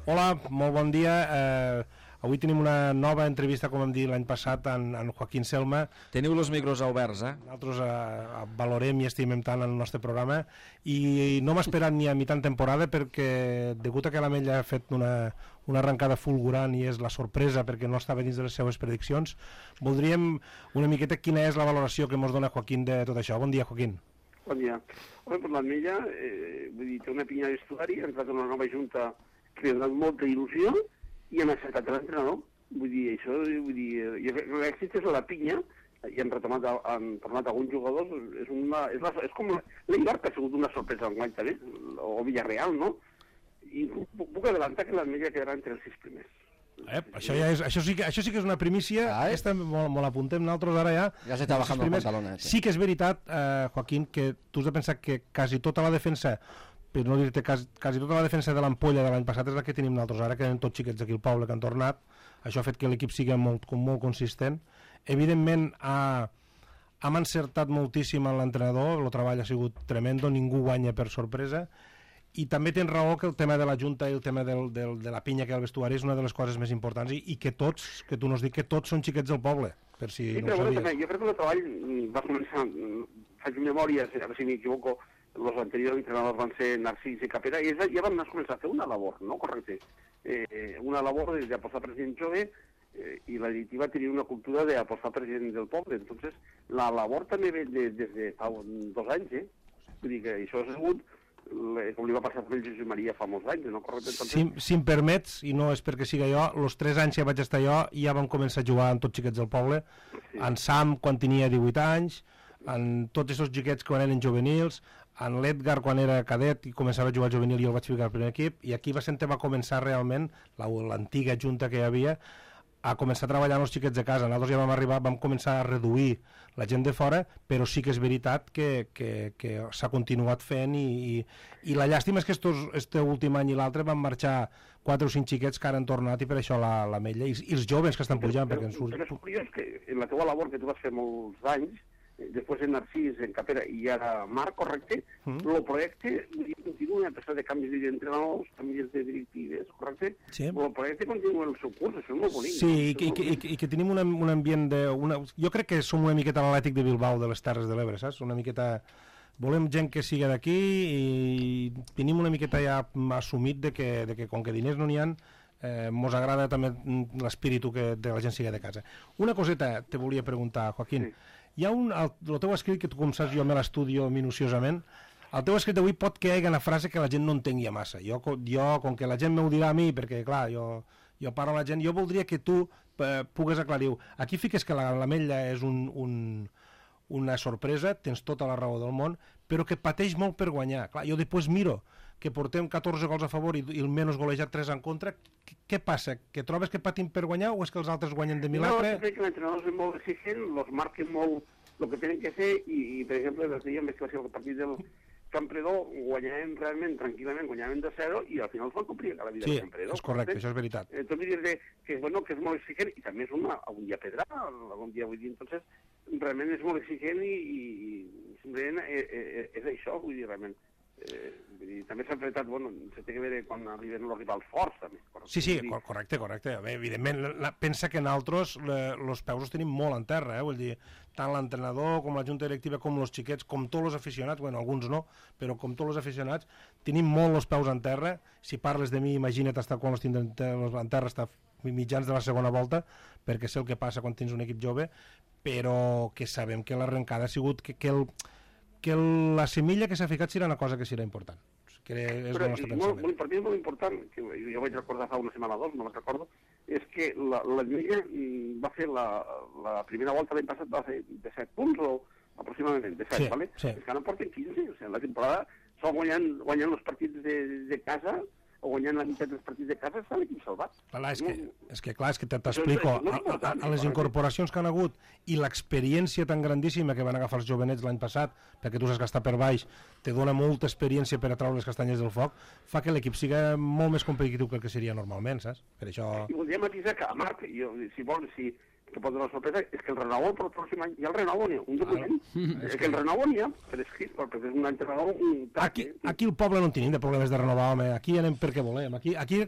Hola, molt bon dia. Eh, avui tenim una nova entrevista, com vam dir l'any passat, en, en Joaquín Selma. Teniu els micros oberts, eh? Nosaltres eh, valorem i estimem tant el nostre programa i no m'ha esperat ni a mitjan temporada perquè, degut a que l'Ametlla ha fet una, una arrencada fulgurant i és la sorpresa perquè no estava dins de les seues prediccions, voldríem una miqueta quina és la valoració que ens dona Joaquín de tot això. Bon dia, Joaquín. Bon dia. Home, per l'Ametlla, eh, vull dir, té una pinya d'estudari, ha entrat una nova junta que li ha donat molta il·lusió i han acceptat l'entrenador. Vull dir, això, vull dir, eh, l'èxit és la pinya, i han retomat, han tornat alguns jugadors, és, una, és, la, és com l'Eibar, que ha sigut una sorpresa enguany també, o Villarreal, no? I puc, puc adelantar que l'Ametlla quedarà entre els sis primers. Eh, això, ja és, això, sí que, això sí que és una primícia. Ah, eh? Aquesta molt, molt apuntem nosaltres ara ja. Ja s'està bajant els Primers. pantalones. Sí que és veritat, eh, Joaquín, que tu has de pensar que quasi tota la defensa, per no dir-te quasi, quasi tota la defensa de l'Ampolla de l'any passat és la que tenim nosaltres ara, que eren tots xiquets d'aquí al poble que han tornat. Això ha fet que l'equip sigui molt, molt consistent. Evidentment, ha, hem encertat moltíssim en l'entrenador, el treball ha sigut tremendo, ningú guanya per sorpresa. I també tens raó que el tema de la Junta i el tema del, del, de la pinya que hi ha al vestuari és una de les coses més importants i, i que tots, que tu nos dic que tots són xiquets del poble, per si Sí, no però ho bueno, sabies. també, jo crec que el treball mm, va començar, mm, faig memòria, a veure si m'equivoco, els anteriors entrenadors van ser Narcís i Capera, i ells ja van començar a fer una labor, no? Correcte. Eh, una labor d'apostar per gent jove, eh, i la directiva tenia una cultura d'apostar per gent del poble. Entonces, la labor també ve de, des de fa un, dos anys, eh? Vull dir que això ha sigut, le, com li va passar amb el Josep Maria fa molts anys, no? Correcte. Entonces, Si, si em permets, i no és perquè siga jo, els tres anys que vaig estar jo ja vam començar a jugar amb tots xiquets del poble, Sí. en Sam quan tenia divuit anys, en tots aquests xiquets quan eren juvenils, en l'Edgar quan era cadet i començava a jugar juvenil i el vaig ficar al primer equip, i aquí va ser on va començar realment la- l'antiga junta que hi havia a començar a treballar amb els xiquets de casa. Nosaltres ja vam arribar, vam començar a reduir la gent de fora, però sí que és veritat que, que, que s'ha continuat fent i, i, i la llàstima és que estos, este últim any i l'altre van marxar quatre o cinc xiquets que ara han tornat i per això la, la Ametlla, i, i els joves que estan pujant, perquè ens surt... Però és curiós que en la teva labor que tu vas fer molts anys, eh, després en Narcís, en Capera i ara Marc, correcte, Mm. el projecte vull dir, continua a pesar de canvis d'entrenadors, canvis de directives, correcte? Sí. El projecte continua el seu curs, això és molt bonic. Sí, no? i, Això que, és i, molt que, i, bonic. que, i que tenim una, un ambient de... Una, jo crec que som una miqueta l'Atlètic de Bilbao de les Terres de l'Ebre, saps? Una miqueta... Volem gent que siga d'aquí i tenim una miqueta ja assumit de que, de que com que diners no n'hi ha, eh, mos agrada també l'espíritu que de la gent siga de casa. Una coseta te volia preguntar, Joaquín. Sí. Hi ha un... El, el teu escrit, que tu com saps jo me l'estudio minuciosament, el teu escrit d'avui pot que hi hagi una frase que la gent no entengui massa. Jo, co- jo com que la gent m'ho dirà a mi, perquè clar, jo, jo parlo a la gent, jo voldria que tu eh, pugues aclarir-ho. Aquí fiques que la l'Ametlla és un, un, una sorpresa, tens tota la raó del món, però que pateix molt per guanyar. Clar, jo després miro que portem catorze gols a favor i, i el menys golejat tres en contra. Què, què passa? Que trobes que patim per guanyar o és que els altres guanyen de No, milagre? jo crec que l'entrenador és molt exigent, los marquen molt el que tenen que fer i, i per exemple, el dia més que va ser el partit del Campredó, guanyàvem realment tranquil·lament, guanyàvem de zero i al final es van complir a la vida Sí, del Campredó. és correcte, això és veritat. Entonces dir que, bueno, que és molt exigent i també és una, algun dia pedrà, algun dia vull dir, entonces realment és molt exigent i, i simplement és, és, és això, vull dir, realment. Eh, i també s'ha enfrentat, bueno, se té que veure quan arriben els rivals forts, també. Sí, sí, correcte, correcte. Bé, evidentment, la, pensa que nosaltres els peus els tenim molt en terra, eh? Vull dir, tant l'entrenador com la junta directiva com els xiquets, com tots els aficionats, bueno, alguns no, però com tots els aficionats, tenim molt els peus en terra. Si parles de mi, imagina't estar quan els tindrem en terra, estar mitjans de la segona volta, perquè sé el que passa quan tens un equip jove, però que sabem que l'arrencada ha sigut que, que, el, que el, la semilla que s'ha ficat serà una cosa que serà important. Que és però el nostre molt, molt, per mi és molt important, que jo vaig recordar fa una setmana o dos, no me'n recordo, és que la, la Lliga va fer la, la primera volta l'any passat va fer de set punts o aproximadament de set, sí, ¿vale? Sí. És que ara en porten quinze, o sigui, la temporada sol guanyant, guanyant els partits de, de casa o guanyant la meitat dels partits de casa està l'equip salvat. Clar, és, que, és que clar, és que t'explico, a, a, a les incorporacions que han hagut i l'experiència tan grandíssima que van agafar els jovenets l'any passat, perquè tu saps que està per baix, te dona molta experiència per a treure les castanyes del foc, fa que l'equip siga molt més competitiu que el que seria normalment, saps? Per això... I voldria matisar que a Marc, jo, si vols, si que pot donar sorpresa, és que el renovo per el pròxim any, ja el renovo n'hi ha, un document, ah, és que el renovo n'hi ha, per escrit, perquè és un entrenador, un... Aquí, aquí el poble no tenim de problemes de renovar, home, aquí anem perquè volem, aquí, aquí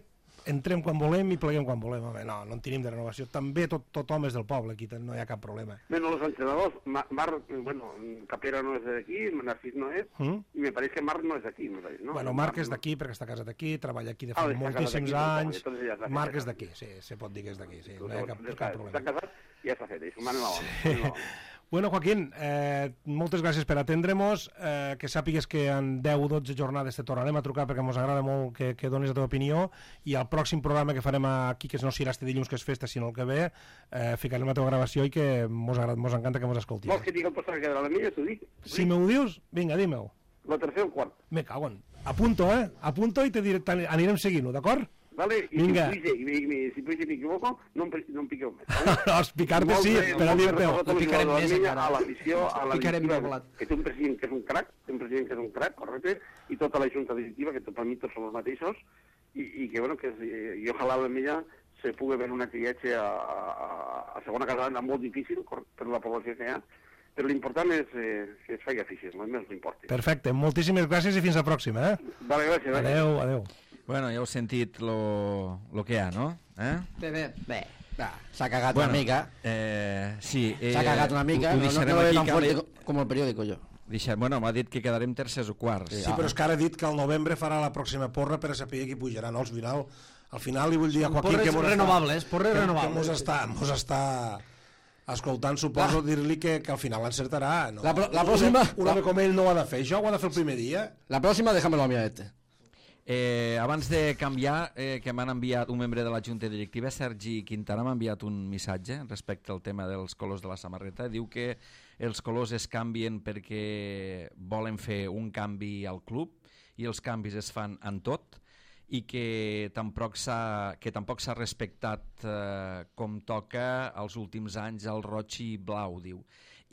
entrem quan volem i pleguem quan volem, home, no, no en tenim de renovació, també tot, tothom és del poble, aquí no hi ha cap problema. Bueno, els entrenadors, Marc, bueno, Capera no és d'aquí, Narcís no és, mm? i me pareix que Marc no és d'aquí, no? Bueno, Marc és d'aquí perquè està casat aquí, treballa aquí de fa ah, moltíssims anys, no, Marc és d'aquí, sí, se pot dir que és d'aquí, sí, no hi ha cap, cap problema. Està casat i ja s'ha fet, això, m'han anat. Bueno, Joaquín, eh, moltes gràcies per atendre-nos, eh, que sàpigues que en deu o dotze jornades te tornarem a trucar perquè ens agrada molt que, que donis la teva opinió i al pròxim programa que farem aquí, que no serà este dilluns que és festa, sinó el que ve, eh, ficarem la teva gravació i que mos, agrada, mos encanta que mos escoltis. Vols que digui el postal que de la milla, t'ho dic? Si m'ho dius, vinga, digue-ho. La tercera o quart. Me cago en... Apunto, eh? Apunto i te diré, anirem seguint-ho, d'acord? Vale, y Vinga. si, y, y, si me equivoco, no, no em piqueu més. No, explicar-te sí, per a dir-te-ho. No picarem més encara. A l'afició, a la picarem directiva, que té un president que és un crac, té un president que és un crac, correcte, i tota la junta directiva, que per mi tots són els mateixos, i, i que, bueno, que i ojalà la milla se pugui veure una criatge a, a, a segona catalana molt difícil per la població que hi ha, però l'important és eh, que es faci afició, no més l'importa. Perfecte, moltíssimes gràcies i fins la pròxima, eh? Vale, gràcies. Adéu, adéu. Bueno, ja heu sentit lo, lo que hi ha, no? Eh? Bé, bé, bé. S'ha cagat bueno, una mica. Eh, sí. Eh, S'ha cagat una mica, ho, ho no, no, no lo veo tan fuerte com el periòdico, jo. Deixa, bueno, m'ha dit que quedarem tercers o quarts. Sí, però és que ara ha dit que al novembre farà la pròxima porra per a saber qui pujarà, no? Al final, al final li vull dir a Joaquín que... Porres renovables, porres renovables. Que mos està, mos està escoltant, suposo, dir-li que, que al final l'encertarà. No? La, la pròxima... Un home com ell no ho ha de fer, això ho ha de fer el primer dia. La pròxima, déjamelo a mi a este. Eh, abans de canviar, eh, que m'han enviat un membre de la Junta Directiva, Sergi Quintana, m'ha enviat un missatge respecte al tema dels colors de la samarreta. Diu que els colors es canvien perquè volen fer un canvi al club i els canvis es fan en tot i que tampoc s'ha que tampoc s'ha respectat eh, com toca els últims anys el roig i blau, diu.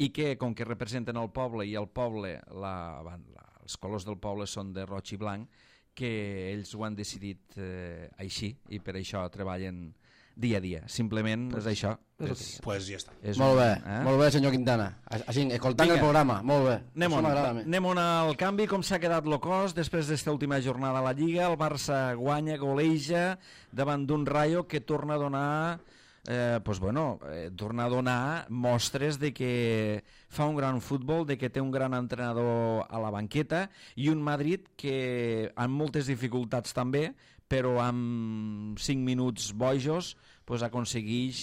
I que com que representen el poble i el poble, la, la, els colors del poble són de roig i blanc, que ells ho han decidit eh, així i per això treballen dia a dia. Simplement pues, és això. Pues, és, pues ja està. És molt bé, un, eh? molt bé, senyor Quintana. Així, escoltant Vinga. El programa, molt bé. Anem-on, anem-on al canvi, com s'ha quedat el cos després d'esta última jornada a la Lliga. El Barça guanya, goleja davant d'un Rayo que torna a donar... Eh, pues bueno, eh, torna a donar mostres de que fa un gran futbol, de que té un gran entrenador a la banqueta i un Madrid que amb moltes dificultats també, però amb cinc minuts bojos pues, aconsegueix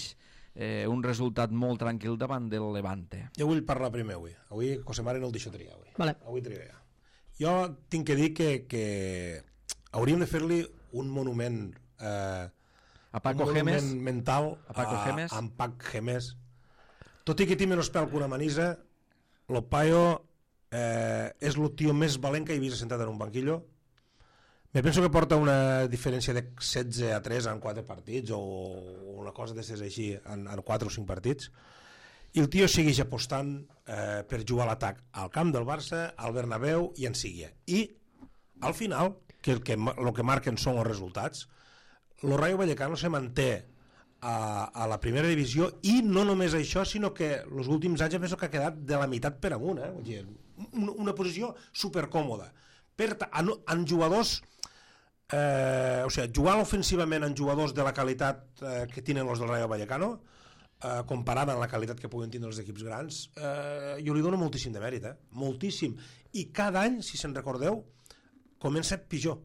eh, un resultat molt tranquil davant del Levante. Jo vull parlar primer avui. Avui Cosemare no el deixo triar. Avui, vale. avui triar. Jo tinc que dir que, que hauríem de fer-li un monument... Eh, a Paco Gemes mental a Paco a, Gemes a en Pac Gemes, tot i que té menys pèl que una manisa, lo paio eh, és el tio més valent que he vist sentat en un banquillo. Me penso que porta una diferència de setze a tres en quatre partits o una cosa d'aquestes així en, en quatre o cinc partits, i el tio segueix apostant eh, per jugar a l'atac al camp del Barça, al Bernabéu i en sigui. I al final, que el que, el que marquen són els resultats, el Rayo Vallecano se manté a, a la primera divisió i no només això, sinó que els últims anys penso que ha quedat de la meitat per amunt, eh? Una, una posició supercòmoda, per ta- en, en jugadors eh, o sigui, jugant ofensivament en jugadors de la qualitat eh, que tenen els del Rayo Vallecano, eh, comparada amb la qualitat que puguen tindre els equips grans, eh, jo li dono moltíssim de mèrit, eh? moltíssim, i cada any, si se'n recordeu, comença pitjor.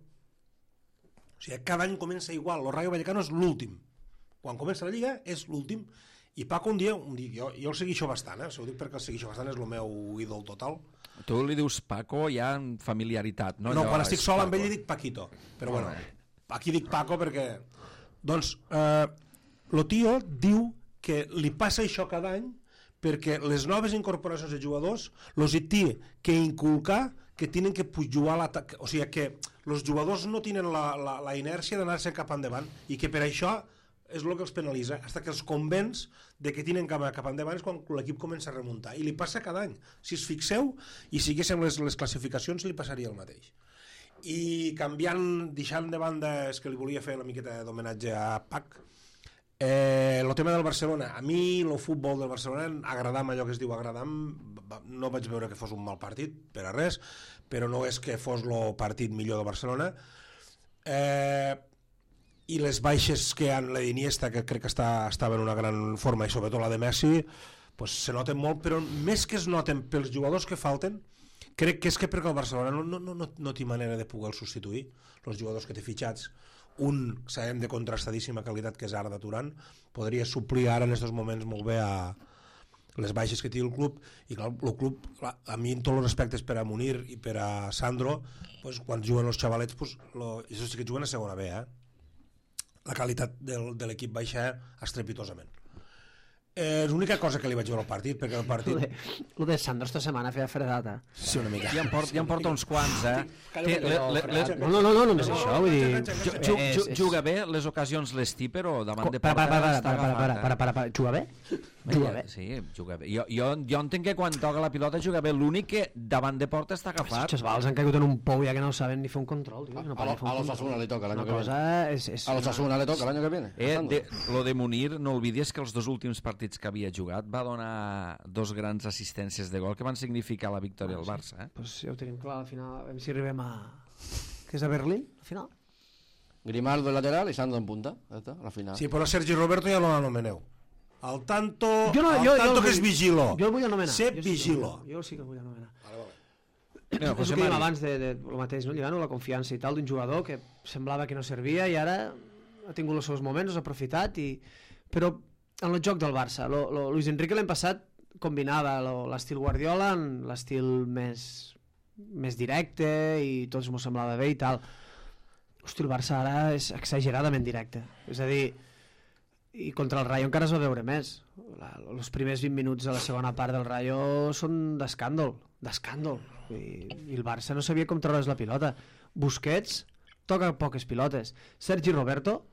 O sigui, cada any comença igual. El Rayo Vallecano és l'últim. Quan comença la Lliga és l'últim. I Paco un dia, un dia jo, jo el seguixo bastant, eh? ho dic perquè el seguixo bastant, és el meu ídol total. Tu li dius Paco ja en familiaritat, no? No, Allò quan estic sol Paco. amb ell li dic Paquito, però bueno, aquí dic Paco perquè... Doncs, eh, lo tio diu que li passa això cada any perquè les noves incorporacions de jugadors los hi té que inculcar que tenen que jugar a l'atac, o sigui que els jugadors no tenen la, la, la inèrcia d'anar-se cap endavant i que per això és el que els penalitza, fins que els convenç de que tenen cap, cap endavant és quan l'equip comença a remuntar, i li passa cada any. Si es fixeu i siguéssim les, les classificacions li passaria el mateix. I canviant, deixant de banda, és que li volia fer una miqueta d'homenatge a Pac, eh, el tema del Barcelona, a mi el futbol del Barcelona agradam, allò que es diu agradam, no vaig veure que fos un mal partit per a res, però no és que fos el partit millor del Barcelona. eh i les baixes que han la d'Iniesta, que crec que està, estava en una gran forma, i sobretot la de Messi, pues, se noten molt, però més que es noten pels jugadors que falten, crec que és que perquè el Barcelona no, no, no, no té manera de poder substituir els jugadors que té fitxats. Un, sabem, de contrastadíssima qualitat, que és Arda Turan, podria suplir ara en aquests moments molt bé a les baixes que té el club, i clar, el club, clar, a mi en tots els respectes per a Munir i per a Sandro, pues, quan juguen els xavalets, pues, lo, això sí que juguen a segona B, eh? La qualitat del, de l'equip baixa estrepitosament. Eh, és l'única cosa que li vaig veure al partit, perquè el partit... Lo de, lo de Sandro esta setmana feia fredata. Sí, una mica. Ja en porta, ja en porta uns quants, eh? Calla, Té, le, le, le, No, no, no, no només això, vull dir... ju, ju, ju, juga bé, les ocasions les té, però davant de Para, porta para, para, està para, para, agafat, para, para, para, para. Juga bé? Juga bé. Sí, juga bé. Jo, jo, jo entenc que quan toca la pilota juga bé, l'únic que davant de porta està Els agafat. xavals han caigut en un pou ja que no saben ni fer un control, tio. No A, lo, poden fer un a los control. Asuna le toca el año Una que cosa viene. és... és A los Asuna le toca el año que viene. Eh, Pasando. de, lo de Munir, no oblidis que els dos últims partits que havia jugat va donar dos grans assistències de gol que van significar la victòria al Barça. Eh? Pues ja ho tenim clar, al final, a veure si arribem a... que és a Berlín, al final. Grimaldo en lateral y Sandro en punta. Ya está, la final. Sí, però a Sergi Roberto ja no l'anomeneu. Al tanto, Jo no, al jo, tanto jo, que és vigilo. Jo el vull anomenar. Sé jo sí que el vigilo. vull- Jo sí que el vull anomenar. No, És el José que dèiem Mari. abans de, de, de lo mateix, no? Lligant la confiança i tal d'un jugador que semblava que no servia i ara ha tingut els seus moments, els ha aprofitat i... però en el joc del Barça lo, lo, Luis Enrique l'any passat combinava lo- l'estil Guardiola en l'estil més més directe i tots m'ho semblava bé i tal. Hosti, el Barça ara és exageradament directe, és a dir, i contra el Rayo encara es va veure més. La, els primers vint minuts de la segona part del Rayo són d'escàndol, d'escàndol. I, i el Barça no sabia com treure's la pilota. Busquets toca poques pilotes. Sergi Roberto,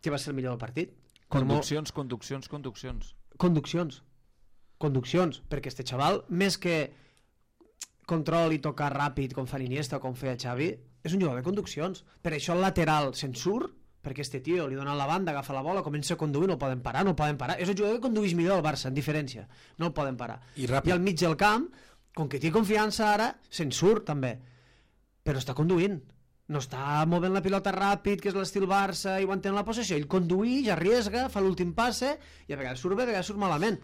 que va ser el millor del partit. Conduccions, conduccions, conduccions. Conduccions. Conduccions, perquè este xaval, més que control i tocar ràpid com fa Iniesta o com feia Xavi, és un jugador de conduccions. Per això el lateral se'n surt, perquè este tio li dona la banda, agafa la bola, comença a conduir, no el poden parar, no el poden parar. És el jugador que condueix millor el Barça, en diferència. No el poden parar. I ràpid. I al mig del camp, com que té confiança ara, se'n surt també. Però està conduint. No està movent la pilota ràpid, que és l'estil Barça, i ho entén la possessió. Ell condueix, arriesga, fa l'últim passe, i a vegades surt bé, a vegades surt malament.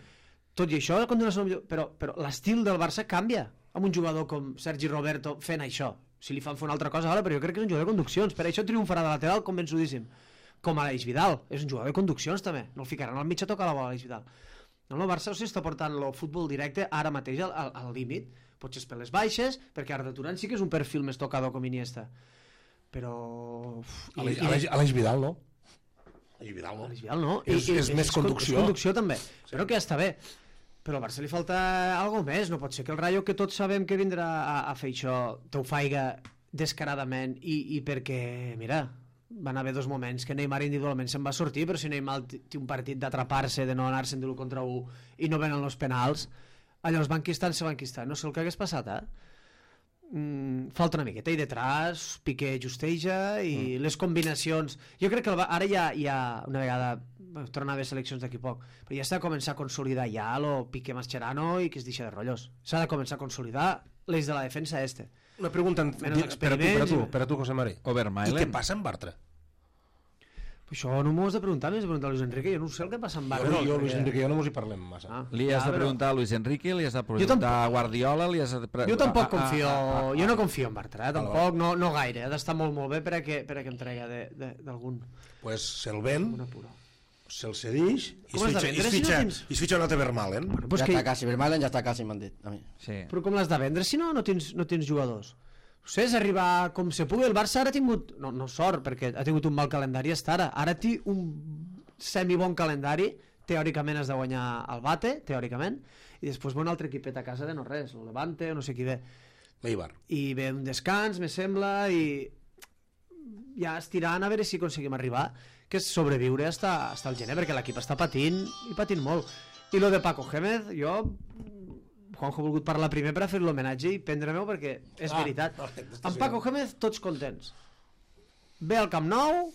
Tot i això, però, però l'estil del Barça canvia amb un jugador com Sergi Roberto fent això. Si li fan fer una altra cosa ara, però jo crec que és un jugador de conduccions, per això triomfarà de lateral convençudíssim, com a Aleix Vidal. És un jugador de conduccions també, no el ficaran al mig a tocar la bola Aleix Vidal. No, el Barça s'està portant el futbol directe ara mateix al, al, al límit, potser és per les baixes, perquè Arda Turan sí que és un perfil més tocador com Iniesta, però... I, Aleix, i- Aleix, Aleix Vidal, no? Aleix Vidal, no? Aleix Vidal no. És- és més conducció. És conducció també, però que ja està bé. Però al Barça li falta algo més, no pot ser que el Rayo, que tots sabem que vindrà a, a fer això, te ho faiga descaradament i, i perquè, mira, van haver dos moments que Neymar individualment se'n va sortir, però si Neymar té un partit d'atrapar-se, de no anar-se'n de l'u contra u i no venen els penals, allò es van quistant, se van quistant. No sé el que hagués passat, eh? Mm, falta una miqueta i detrás Piqué justeja i mm. les combinacions, jo crec que el, ara ja, ja una vegada torna a haver seleccions d'aquí poc, però ja s'ha de començar a consolidar ja lo Piqué Mascherano i que es deixa de rotllos, s'ha de començar a consolidar l'eix de la defensa este, Una pregunta Menys per a tu, per a tu, experiments. per a tu, José Mari. I Overmailen. què passa amb Bartra? Això no m'ho has de preguntar, m'has de preguntar a Luis Enrique, jo no sé el que passa amb Bartra. Jo, jo Luis perquè- Enrique, jo no mos hi parlem massa. Ah, Li has ja, de però- preguntar a Luis Enrique, li has de Jo preguntar tampoc- a Guardiola, li has de... Pre... Jo tampoc a- a- confio, a- a- jo no confio en Bartra, eh? Vale, tampoc, no, no gaire, ha d'estar molt molt bé per a que, per a que em trega de- de- d'algun Pues se'l ven, una pura. se'l cedix i es Com has de fitxa, i vendre es si no fitxa, tens- i es fitxa un altre Vermaelen. Bueno, Ja pues està que, quasi, Vermaelen ja està quasi, m'han dit. A mi. Sí. però com l'has de vendre si no no tens, no tens jugadors? No sé, és arribar com se pugui. El Barça ara ha tingut, no, no sort, perquè ha tingut un mal calendari hasta ara. Ara té un semibon calendari, teòricament has de guanyar el Bate, teòricament, i després ve un altre equipet a casa de no res, el Levante o no sé qui ve. L'Eibar. I ve un descans, me sembla, i ja estirant a veure si aconseguim arribar, que és sobreviure hasta, hasta el gener, perquè l'equip està patint i patint molt. I lo de Paco Gémez, jo Juanjo ha volgut parlar primer per a fer l'homenatge i prendre-m'ho perquè és Ah, veritat. vale, Amb Paco Gémez tots contents. Ve al Camp Nou,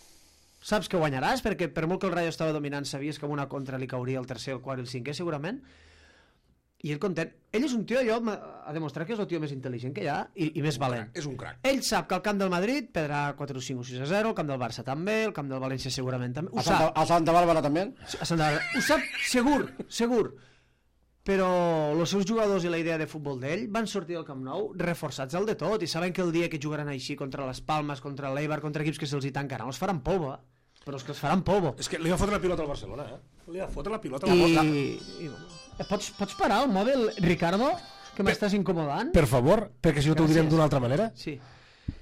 saps que guanyaràs, perquè per molt que el Rayo estava dominant sabies que amb una contra li cauria el tercer, el quart i el cinquè segurament, i ell content. Ell és un tio, jo, m'ha- ha demostrat que és el tio més intel·ligent que hi ha i, i més valent. És un crac. Ell sap que el camp del Madrid perdrà quatre o cinc o sis a zero, el camp del Barça també, el camp del València segurament també. Ho A Santa, sap, a Santa Bàrbara també? a Santa Bàrbara. Ho sap segur, segur. Però els seus jugadors i la idea de futbol d'ell van sortir del Camp Nou reforçats al de tot i saben que el dia que jugaran així contra les Palmes, contra l'Eibar, contra equips que se'ls hi tancaran, els faran polvo, eh? Però és que els faran polvo. És que li va fotre la pilota al Barcelona, eh? Li va fotre la pilota a la I, boca. i pots, pots parar el mòbil, Ricardo, que m'estàs incomodant? Per favor, perquè si no t'ho direm Gràcies. d'una altra manera. Sí.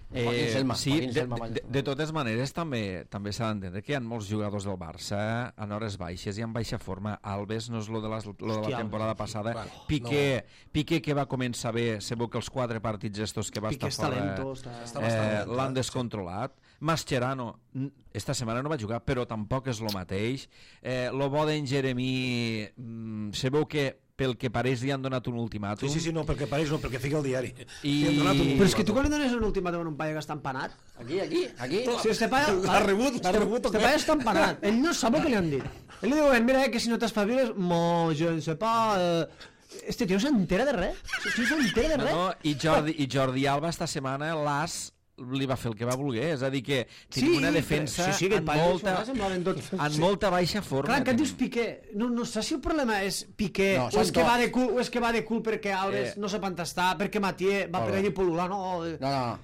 Joaquín Selma, sí, Joaquín de, Selma, de, vaja. de, de totes maneres també també s'ha d'entendre que hi ha molts jugadors del Barça en hores baixes i en baixa forma. Alves no és lo de, les, lo de Hòstia, la temporada Alves, passada. Bueno, Piqué, Piqué que va començar bé, segur que els quatre partits estos que va Piqué estar és fora talento, està- Està bastant eh, lent, l'han eh? descontrolat. Mascherano n- esta setmana no va jugar, però tampoc és lo mateix. Eh, lo bo d'en Jeremí, mm, se veu que pel que pareix li han donat un ultimàtum. Sí, sí, sí, no, perquè pareix no, perquè fica el diari. I- Li han donat un Però és que tu ultimàtum. quan li dones un ultimàtum a un paio que està empanat, Aquí, aquí, aquí. si este paio... L'ha rebut, l'ha rebut, o Este què? paio està empanat. Ell no sap el que li han dit. Ell li diuen, mira, eh, que si no t'espaviles, mo, je ne sais pas... Eh... Este tio no s'entera de res. Este tio no s'entera de No, res. no, i, Jordi, i Jordi Alba esta setmana l'As li va fer el que va voler, és a dir que tenim una defensa sí, sí, que amb, molta... molta, amb molta baixa forma. Clar, que et dius tenim. Piqué, no, no sé si el problema és Piqué, No, o, són és que tots. va de cul, o és que va de cul perquè Alves Eh. no sap entestar, perquè Matié va Molt per bé. allí pol·lular, no... eh. No, no, no.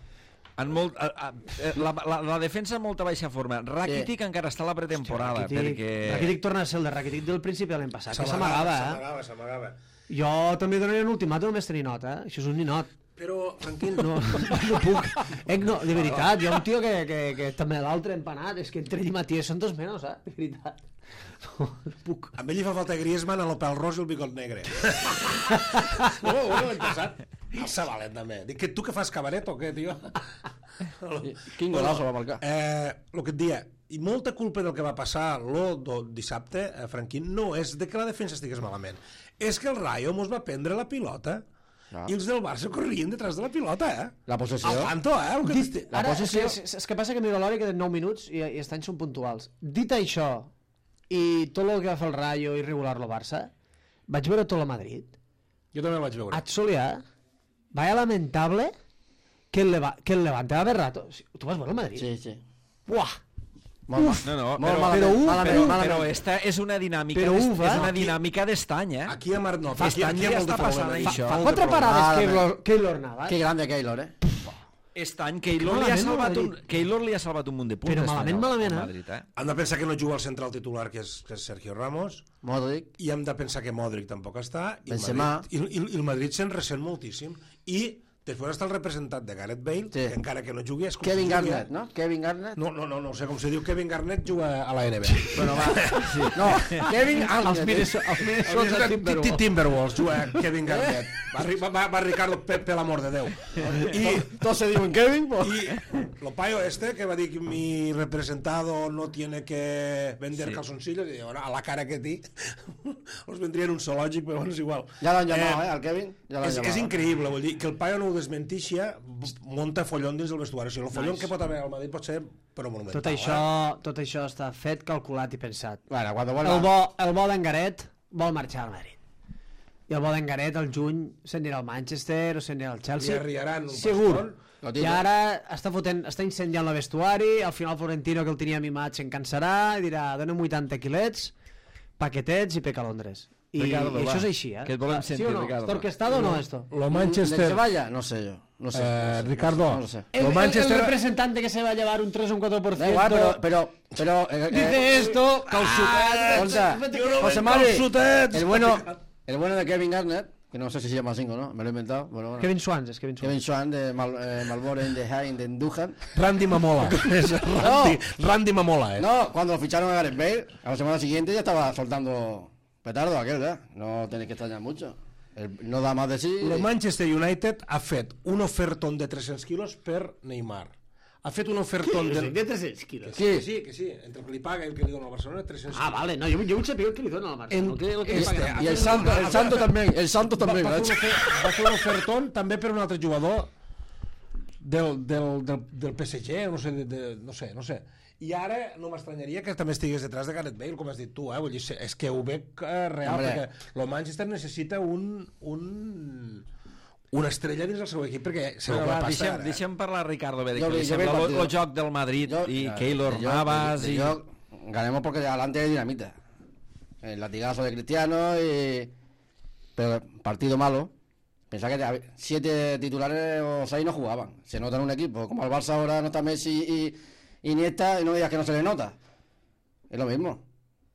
En molt, a, a, eh, la, la, la defensa amb molta baixa forma. Rakitic Sí. encara està a la pretemporada. Rakitic, perquè... Rakitic torna a ser el de Rakitic del principi de l'any passat, que s'amagava, eh? S'amagava, s'amagava. Jo també donaria un ultimàtum només tenir nota, eh? Això és un ninot. Però, Franquín, No, no puc. Eh, no, de veritat, jo un tio que, que, que també l'altre empanat, és que entre ell i Matías són dos menys, eh? De veritat. No, no puc. a ell li fa falta Griezmann amb el pèl ros i el bigot negre. no, no l'any passat. El Sabalet, també. Dic, que tu que fas cabaret o què, tio? Quin golazo va marcar. Eh, el que et dia, i molta culpa del que va passar lo do dissabte, eh, Franquín, no és de que la defensa estigués malament. És que el Rayo mos va prendre la pilota Ah. i els del Barça corrien detrás de la pilota, eh? La possessió. Al tanto, eh? El que Dit, t'estic- ara, possessió- és, és, és que passa que miro l'hora i queden nou minuts i, i els anys són puntuals. Dit això, i tot el que va fer el Rayo i regular-lo Barça, vaig veure tot el Madrid. Jo també el vaig veure. Et solia, vaya lamentable que el, Leva, que el Levante va haver rato. Tu vas veure el Madrid? Sí, sí. Buah! Molt Uf! No, no, Molt però, malament, però un- malament, però, malament. però esta és una dinàmica, Però d'est- uf, eh? és una Aquí- dinàmica d'estany, eh? Aquí a Mar... No, Fa aquí, aquí hi ha ja molt de està passant problema. això. Fa Molt de quatre problema. parades Ah, Keylor, Keylor Navas, Que grande Keylor, eh? Estany, Keylor li, ha malament el salvat un, Madrid. Keylor li ha salvat un munt de punts. Però este malament, any al- malament, al eh? Madrid, eh? Hem de pensar que no juga al central titular, que és, que és Sergio Ramos, Modric. i hem de pensar que Modric tampoc està, i el Benzema. Madrid, i, i, i el Madrid se'n ressent moltíssim. I després està el representat de Gareth Bale, Sí. que encara que no jugui és com Kevin si jugui- Garnett, no? Kevin Garnett. No, no, no, no sé com se diu. Kevin Garnett juga a la N B A. Bueno, va. Sí. No, Kevin els Garnett. Minnesota, els Minnesota Timberwolves. Timberwolves juga Kevin Garnett. Va, ri- va, va, va Ricardo per, per l'amor de Déu. I, Todos se diuen Kevin, pues... y lo payo este que va a decir que mi representado no tiene que vender Sí. calzoncillos, y ahora a la cara que ti os vendría en un zoològic, però bueno, és igual. Ja l'han llamat, eh, al Kevin. Ja l'han És, és llamat. increïble, vull dir, que el paio no ho desmentixia, munta follon dins del vestuari. O sigui, el follon Nice. que pot haver al Madrid pot ser però monumental. Tot això, tot això està fet, calculat i pensat. Bueno, cuando vuelva... El bo, el bo d'en Garet vol marxar al Madrid. i el Bodengaret al juny s'anirà al Manchester o s'anirà al Chelsea. Li arriaran un segur. paston. I ara està, fotent, està incendiant la vestuari, al final Florentino, que el tenia mimat, se'n cansarà i dirà, dona'm vuitanta quilets, paquetets i peca a Londres. I, Ricardo, i això va. és així, eh? Que et volem sentir, ¿Sí o no? Ricardo. ¿Está orquestado o no esto? Lo ¿De Manchester... se vaya? No sé yo. No sé. Eh, no sé, Ricardo, no lo sé. El, Lo el- Manchester- el representante que se va a llevar un tres o un cuatro por Da ciento igual, pero... pero, pero eh, eh, dice esto... Ah, escolta, yo no José vendo Mari, calçotets. el bueno, el bueno de Kevin Garnett, que no sé si se llama así o no, me lo he inventado. Bueno, bueno. Kevin Swans, és Kevin Swans. Kevin Swan de Mal, eh, Malboro in the High de Duhan. Randy Mamola. Es Randy, Randy Mamola, ¿eh? No, cuando lo ficharon a Gareth Bale, a la semana siguiente ya estaba soltando petardo aquel, ¿verdad? No tenéis que extrañar mucho. El, no da más de sí. El Manchester United ha fet un ofertón de tres-cents quilos per Neymar. Ha fet un ofertón De de... tres-cents quilos. Que sí, que sí. Entre el que li paga i el que li dona al Barcelona, tres-cents Ah, vale, no, jo, jo vull saber el que li dona al Barça. En- El que, el que li este, paguen. Y el Santo, el Santo también, el Santo Va, también. va, fer ¿verdad? un ofer, va fer un ofertón també per un altre jugador del, del, del, del P S G, no sé, de, de, no sé, no sé. I ara no m'estranyaria que també estigués detrás de Gareth Bale, com has dit tu, eh? Vull dir, és que ho veig eh, real, Hombre. perquè el Manchester necessita un, un, una estrella dins el seu equip, perquè se Però ho va va, passar. deixem, eh? deixem parlar a Ricardo bé, de Jo què li vi- jo vi el sembla el partido. joc del Madrid Yo- i ya, Keylor de yo- Navas de- de i... yo ganemos porque adelante hay dinamita. El latigazo de Cristiano y... Pero partido malo. Pensá que te- siete titulares o seis no jugaban. Se nota en un equipo. Como al Barça ahora no está Messi y y Iniesta y no digas que no se le nota. Es lo mismo.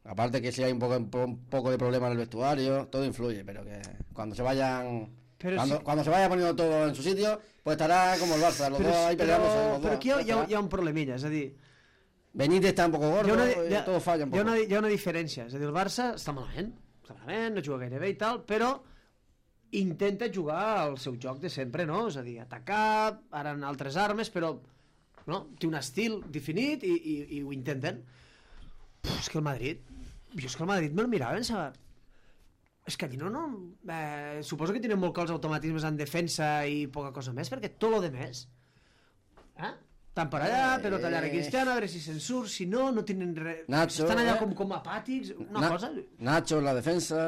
Aparte que si hay un poco, un poco de problema en el vestuario, todo influye, pero que cuando se vayan... Pero cuando, sí- cuando se vaya poniendo todo en su sitio, pues estará como el Barça, los Però, dos ahí però, peleándose. los però dos, aquí hi ha, hi, ha, estarà. hi ha un problemilla, és a dir, Benítez está un poco gordo, hi ha una, y hi ha, todo falla un hi ha poco. una, hi ha una diferència, és a dir, el Barça està malament, està malament, no juga gaire bé i tal, però intenta jugar al seu joc de sempre, no? És a dir, atacar, ara en altres armes, però no? Té un estil definit i, i, i ho intenten. Puf, és que el Madrid, jo és que el Madrid me'l mirava i pensava, és que aquí no, no, eh, suposo que tenen molt clars automatismes en defensa i poca cosa més, perquè tot lo de més, eh? Estan per allà, però tallar a Cristiano, a veure si se'n surt, si no, no tenen res, Nacho, estan allà eh? com, com apàtics, una Na- cosa... Nacho en la defensa,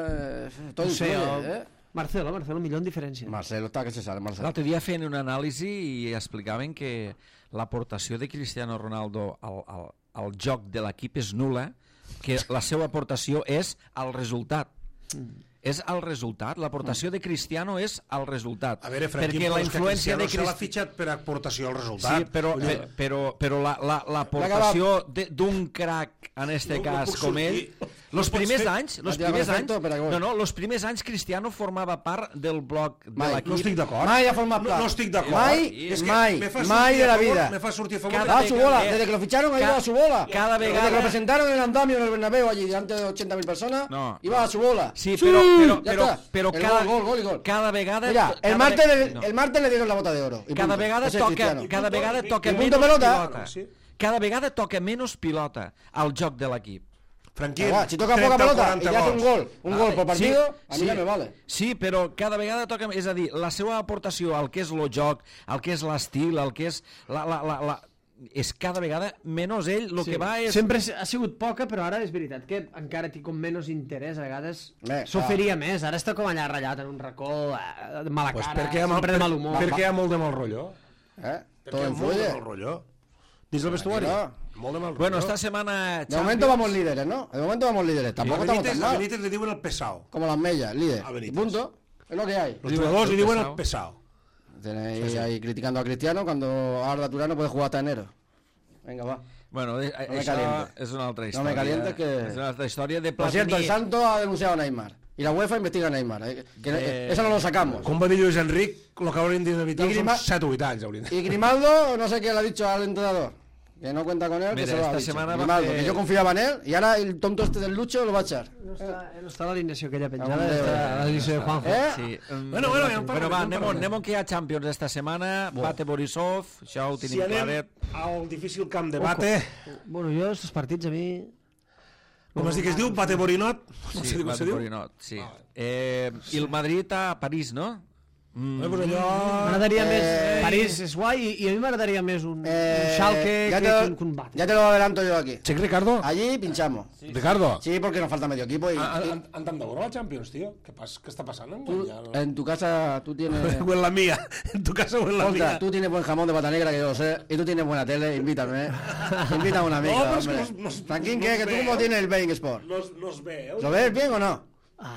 eh, todo No sé, influye, el- ¿eh? Marcelo, Marcelo, millor en diferència. Marcelo está que se sale, Marcelo. L'altre dia feien una anàlisi i explicaven que l'aportació de Cristiano Ronaldo al, al, al joc de l'equip és nula, que la seva aportació és al resultat. Mm. És al resultat, l'aportació de Cristiano és al resultat. A veure, Franquín, perquè la però és que influència Cristiano de se l'ha Cristiano... fitxat per aportació al resultat. Sí, però, Vull dir, pe- però, però la- la- l'aportació la, d'un crac, en este No- no cas, puc com ell, sortir. los No pots primers fer- anys, los Tira primers perfecto, anys, pero que voy. no, no, los primers anys Cristiano formava part del bloc de Mai. l'equip. no estic d'acord. Mai ha format no, part. no estic d'acord. Mai, És que mai, me fa mai sortir de a la favor- vida. Me fa sortir a favor Cada de- Va a su bola, eh, desde que lo ficharon ha ca- ido a su bola. cada Desde vegada- que lo presentaron en el andamio en el Bernabéu allí delante de ochenta mil personas, No. iba a su bola. Sí, però, però, ya però, está. però El cada, gol, gol, gol y gol. cada vegada... Mira, cada el martes, ve- le, no. el martes le dieron la bota de oro. y cada punto. vegada Ese es toca, Cristiano. cada vegada toca I punto menys pelota. pilota. Sí. Cada vegada toca menys pilota al joc de l'equip. Tranquil. Igual, si toca trenta poca o pelota y quaranta le hace un gols. gol, un gol por partido, a mí sí, ya me vale. Sí, però cada vegada toca... És a dir, la seva aportació al que és el joc, al que és l'estil, al que és... La, la, la, la, és cada vegada menys ell, el Sí. que va és... Sempre ha sigut poca, però ara és veritat que encara té com menys interès, a vegades Bé, s'oferia més, ara està com allà ratllat en un racó, eh, de mala Pues cara, perquè hi ha mal, sempre de mal per, humor. perquè hi ha molt de mal rotllo. ¿Eh? Perquè Todo hi ha molt de influye. mal rotllo. Dins del vestuari. Tranquilo. Molt de mal rotllo. Bueno, esta setmana... De momento vamos líderes, ¿no? De momento vamos líderes. A Tampoco estamos Benítez, tan a mal. Benítez le diuen el pesao. Como las mellas, líder. A Y Benítez. punto. Es lo que hay. Los jugadors li diuen el pesao. pesao. Tenéis Sí, sí. ahí criticando a Cristiano cuando Arda Turano puede jugar hasta enero. Venga, va. Bueno, eh, No me això calientes. és una altra No història. me calientes que- És una altra història de Por cierto, el Platini. Santo ha denunciado a Neymar. Y la UEFA investiga a Neymar. eh, Que Eh, eso no lo sacamos. Com va dir Lluís Enric, el que haurien d'inevitar I són Grima- set o vuit anys. Haurien. Y Grimaldo, no sé qué le ha dicho al entrenador. Que no cuenta con él, que Mira, se lo ha esta dicho. semana va Grimaldo, a que fer- yo confiaba en él. Y ahora el tonto este del Lucho lo va a echar. No està, no està l'alineació aquella penjada, Hombre, està l'alineació de Juanjo. ¿Eh? Sí. um, Bueno, bueno, ja en bueno, parlarem, va, ja en anem, parlarem. anem que hi ha Champions esta setmana. Bate Borisov, això ho Si tenim anem claret. al difícil camp de Bate, Bueno, jo, estos partits a mi... com es diu que es diu? Bate Borinot? Com Sí, se diu? Com Bate se diu? Borinot, sí. Eh, I el Madrid a París, no? Mm. Pues allò... M'agradaria Eh, més... París és guai i, i a mi m'agradaria més un, Eh, un Schalke ya que, te, que, un- que un Barça. ya te lo adelanto yo aquí. Sí, Ricardo. Allí pinchamos. Sí. Ricardo. Sí, porque nos falta medio equipo y, Han, y han, han tant de veure la Champions, tío. ¿Qué, pas, ¿Qué está pasando? tú, Ya no- en tu casa tú tienes... O en la mía. En tu casa o en la Escolta, mía. tú tienes buen jamón de pata negra, que yo lo sé, y tú tienes buena tele, invítame. ¿eh? Invítame a una amiga, No, pero es que hombre. nos- nos- Tranquil, nos ¿qué? Que tú veo. cómo tienes el Bein Sport. Nos, nos veo. ¿Lo ves bien o no?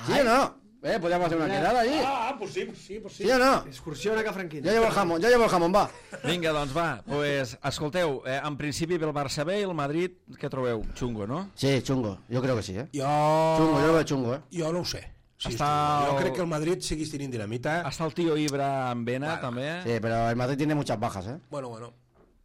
¿Sí o no? ¿Eh? Podríamos hacer una quedada allí. Ah, pues sí, pues sí, pues sí. ¿Sí o no? Excursió a Cafranquina. Yo llevo el jamón, yo llevo el jamón, va. Vinga, doncs va, pues, escolteu, eh, en principi ve el Barça B i el Madrid, què trobeu? Xungo, no? Sí, chungo, yo creo que sí, ¿eh? Jo... Chungo, yo lo veo chungo, ¿eh? Jo no ho sé. Sí, Està jo el- crec que el Madrid seguís tenint dinamita. Està el tio Ibra en Vena, Bueno, també. Sí, pero el Madrid tiene muchas bajas, ¿eh? Bueno, bueno,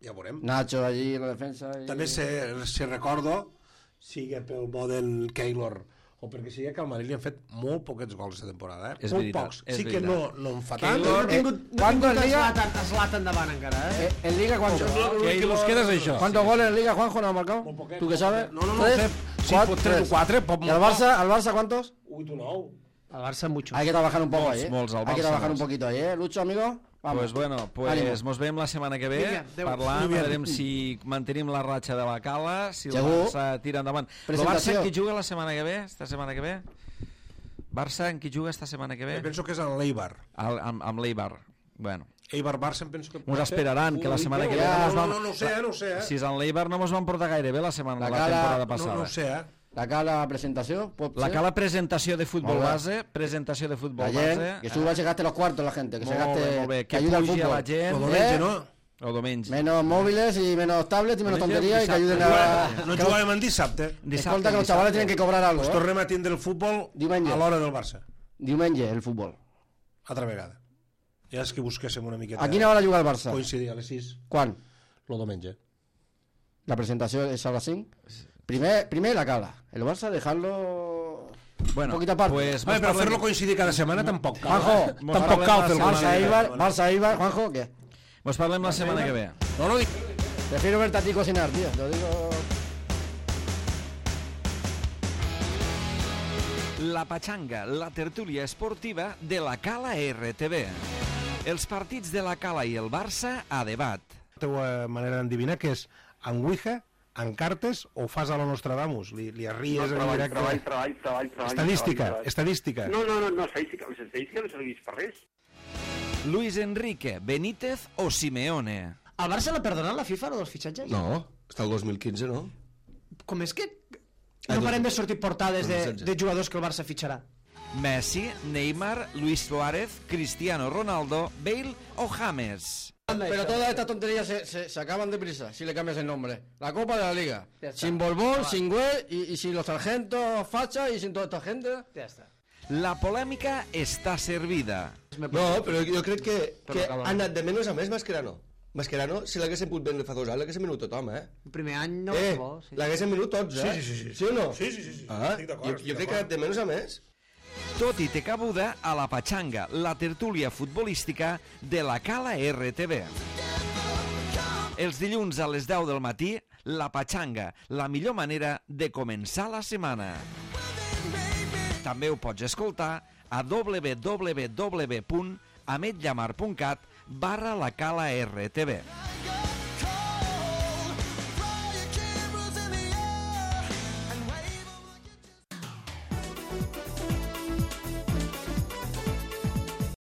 ja veurem. Nacho allí en la defensa. Y... També se, se recordo, sigui pel bo del Keylor o perquè sigui que al Madrid li han fet molt poquets gols aquesta temporada, eh? És molt veritat, pocs. és Sí que veritat. no, no en fa tant. Keylor- No Eh, tingut... ¿Cuántos en Liga? Zlatan, Zlatan davant encara, eh? Eh, ¿En Liga cuántos? L'únic que nos queda és això. ¿Cuántos goles en Liga, Juanjo, no ha marcado? Molt poquet, ¿Tú qué molt sabes? poquet. No, no, no, ¿Tres? sé. Sí, Cuatro, pot tres o quatre, pot ¿Y al Barça, al Barça cuántos? vuit o nou. El Barça muchos. Hay que trabajar un poco Molts, ahí, ¿eh? molts, al Hay que Barça, trabajar un molts. poquito ahí, ¿eh? Lucho, amigo. Vamos. Pues bueno, pues Ánimo. mos veiem la setmana que ve, Vinga, adéu. parlant, Muy bien. veurem si mantenim la ratxa de la Cala, si el Segur. Barça tira endavant. El Presentació. Barça en qui juga la setmana que ve? Esta setmana que ve? Barça en qui juga esta setmana que ve? Eh, penso que és en l'Eibar. Al, amb, amb l'Eibar. Bueno, Eibar-Barça em penso que... mos esperaran que la setmana que ve ja. no mos No, van... no, no ho sé, eh, no ho sé, eh? Si és en l'Eibar no mos van portar gaire bé la setmana La la, Cala- temporada No, passada. no ho sé, eh? La Cala presentación. pot La ser? Cala presentació de futbol Molt bé. base, presentació de futbol Ayer, base. que suba, se gaste los cuartos la gente, que se Molt gaste, bé, molt bé. que Que ayude al pugi a fútbol. la gent. El diumenge, Eh? no? O diumenge. Menos móviles y menos tablets y menos Diumenge, tonterías y que ayuden dissabte. a... No que jugàvem en dissabte. Escolta, que los chavales tienen que cobrar algo, Pues ¿eh? tornem a tindre el futbol Diumenge. a l'hora del Barça. Diumenge, el fútbol. Altra vegada. Ja és que busquéssim una miqueta... ¿A quina hora juga el Barça? Coincidir a les sis, ¿Cuán? el diumenge. La presentación es a las cinco. Primer, primer la Cala. El Barça dejarlo... Bueno, un poquito aparte. pues, Home, mos però parlem- fer-lo coincidir cada setmana tampoc cal. Juanjo, mos tampoc parlem cal la fer-lo setmana Barça que ve. Eibar, Barça Eibar, Juanjo, ¿qué? Mos parlem la setmana que ve. No, no, dic... Prefiero verte a ti cocinar, tío. Te lo digo... La Pachanga, la tertúlia esportiva de la Cala R T V. Els partits de la Cala i el Barça a debat. La teva manera d'endevinar que és en Ouija, en cartes o fas a la Nostradamus? Li, li arries en treball, directe? treball, treball, treball, treball. Estadística, treball, treball. estadística. No, no, no, no, estadística, les estadístiques no serveix per res. Luis Enrique, Benítez o Simeone. El Barça l'ha perdonat la FIFA, lo dels fitxatges? No, està el dos mil quinze, no? Com és que Ah, no dos- parem de sortir portades de, dos mil setze. de jugadors que el Barça fitxarà? Messi, Neymar, Luis Suárez, Cristiano Ronaldo, Bale o James. Pero todas estas tonterías se, se, se acaban deprisa si le cambias el nombre. La Copa de la Liga. Ya está. Sin Borbón, sin Güell y, y sin los sargentos facha y sin toda esta gente. Ja està. La polèmica està servida. No, però jo crec que, Però que acaba. ha anat de menys a més Mascherano. Mascherano, si l'haguessin pogut vendre fa dos anys, l'haguessin venut tothom, eh? El primer any no eh, va bo, sí. l'haguessin venut tots, eh? Sí, sí, sí, sí. Sí o no? Sí, sí, sí, sí. Ah, Estic d'acord, jo, estic jo crec que ha anat de menys a més. Tot i té cabuda a la Pachanga, la tertúlia futbolística de la Cala R T V. Els dilluns a les deu del matí, la Pachanga, la millor manera de començar la setmana. També ho pots escoltar a w w w punt ametllamar punt cat barra la Cala R T V.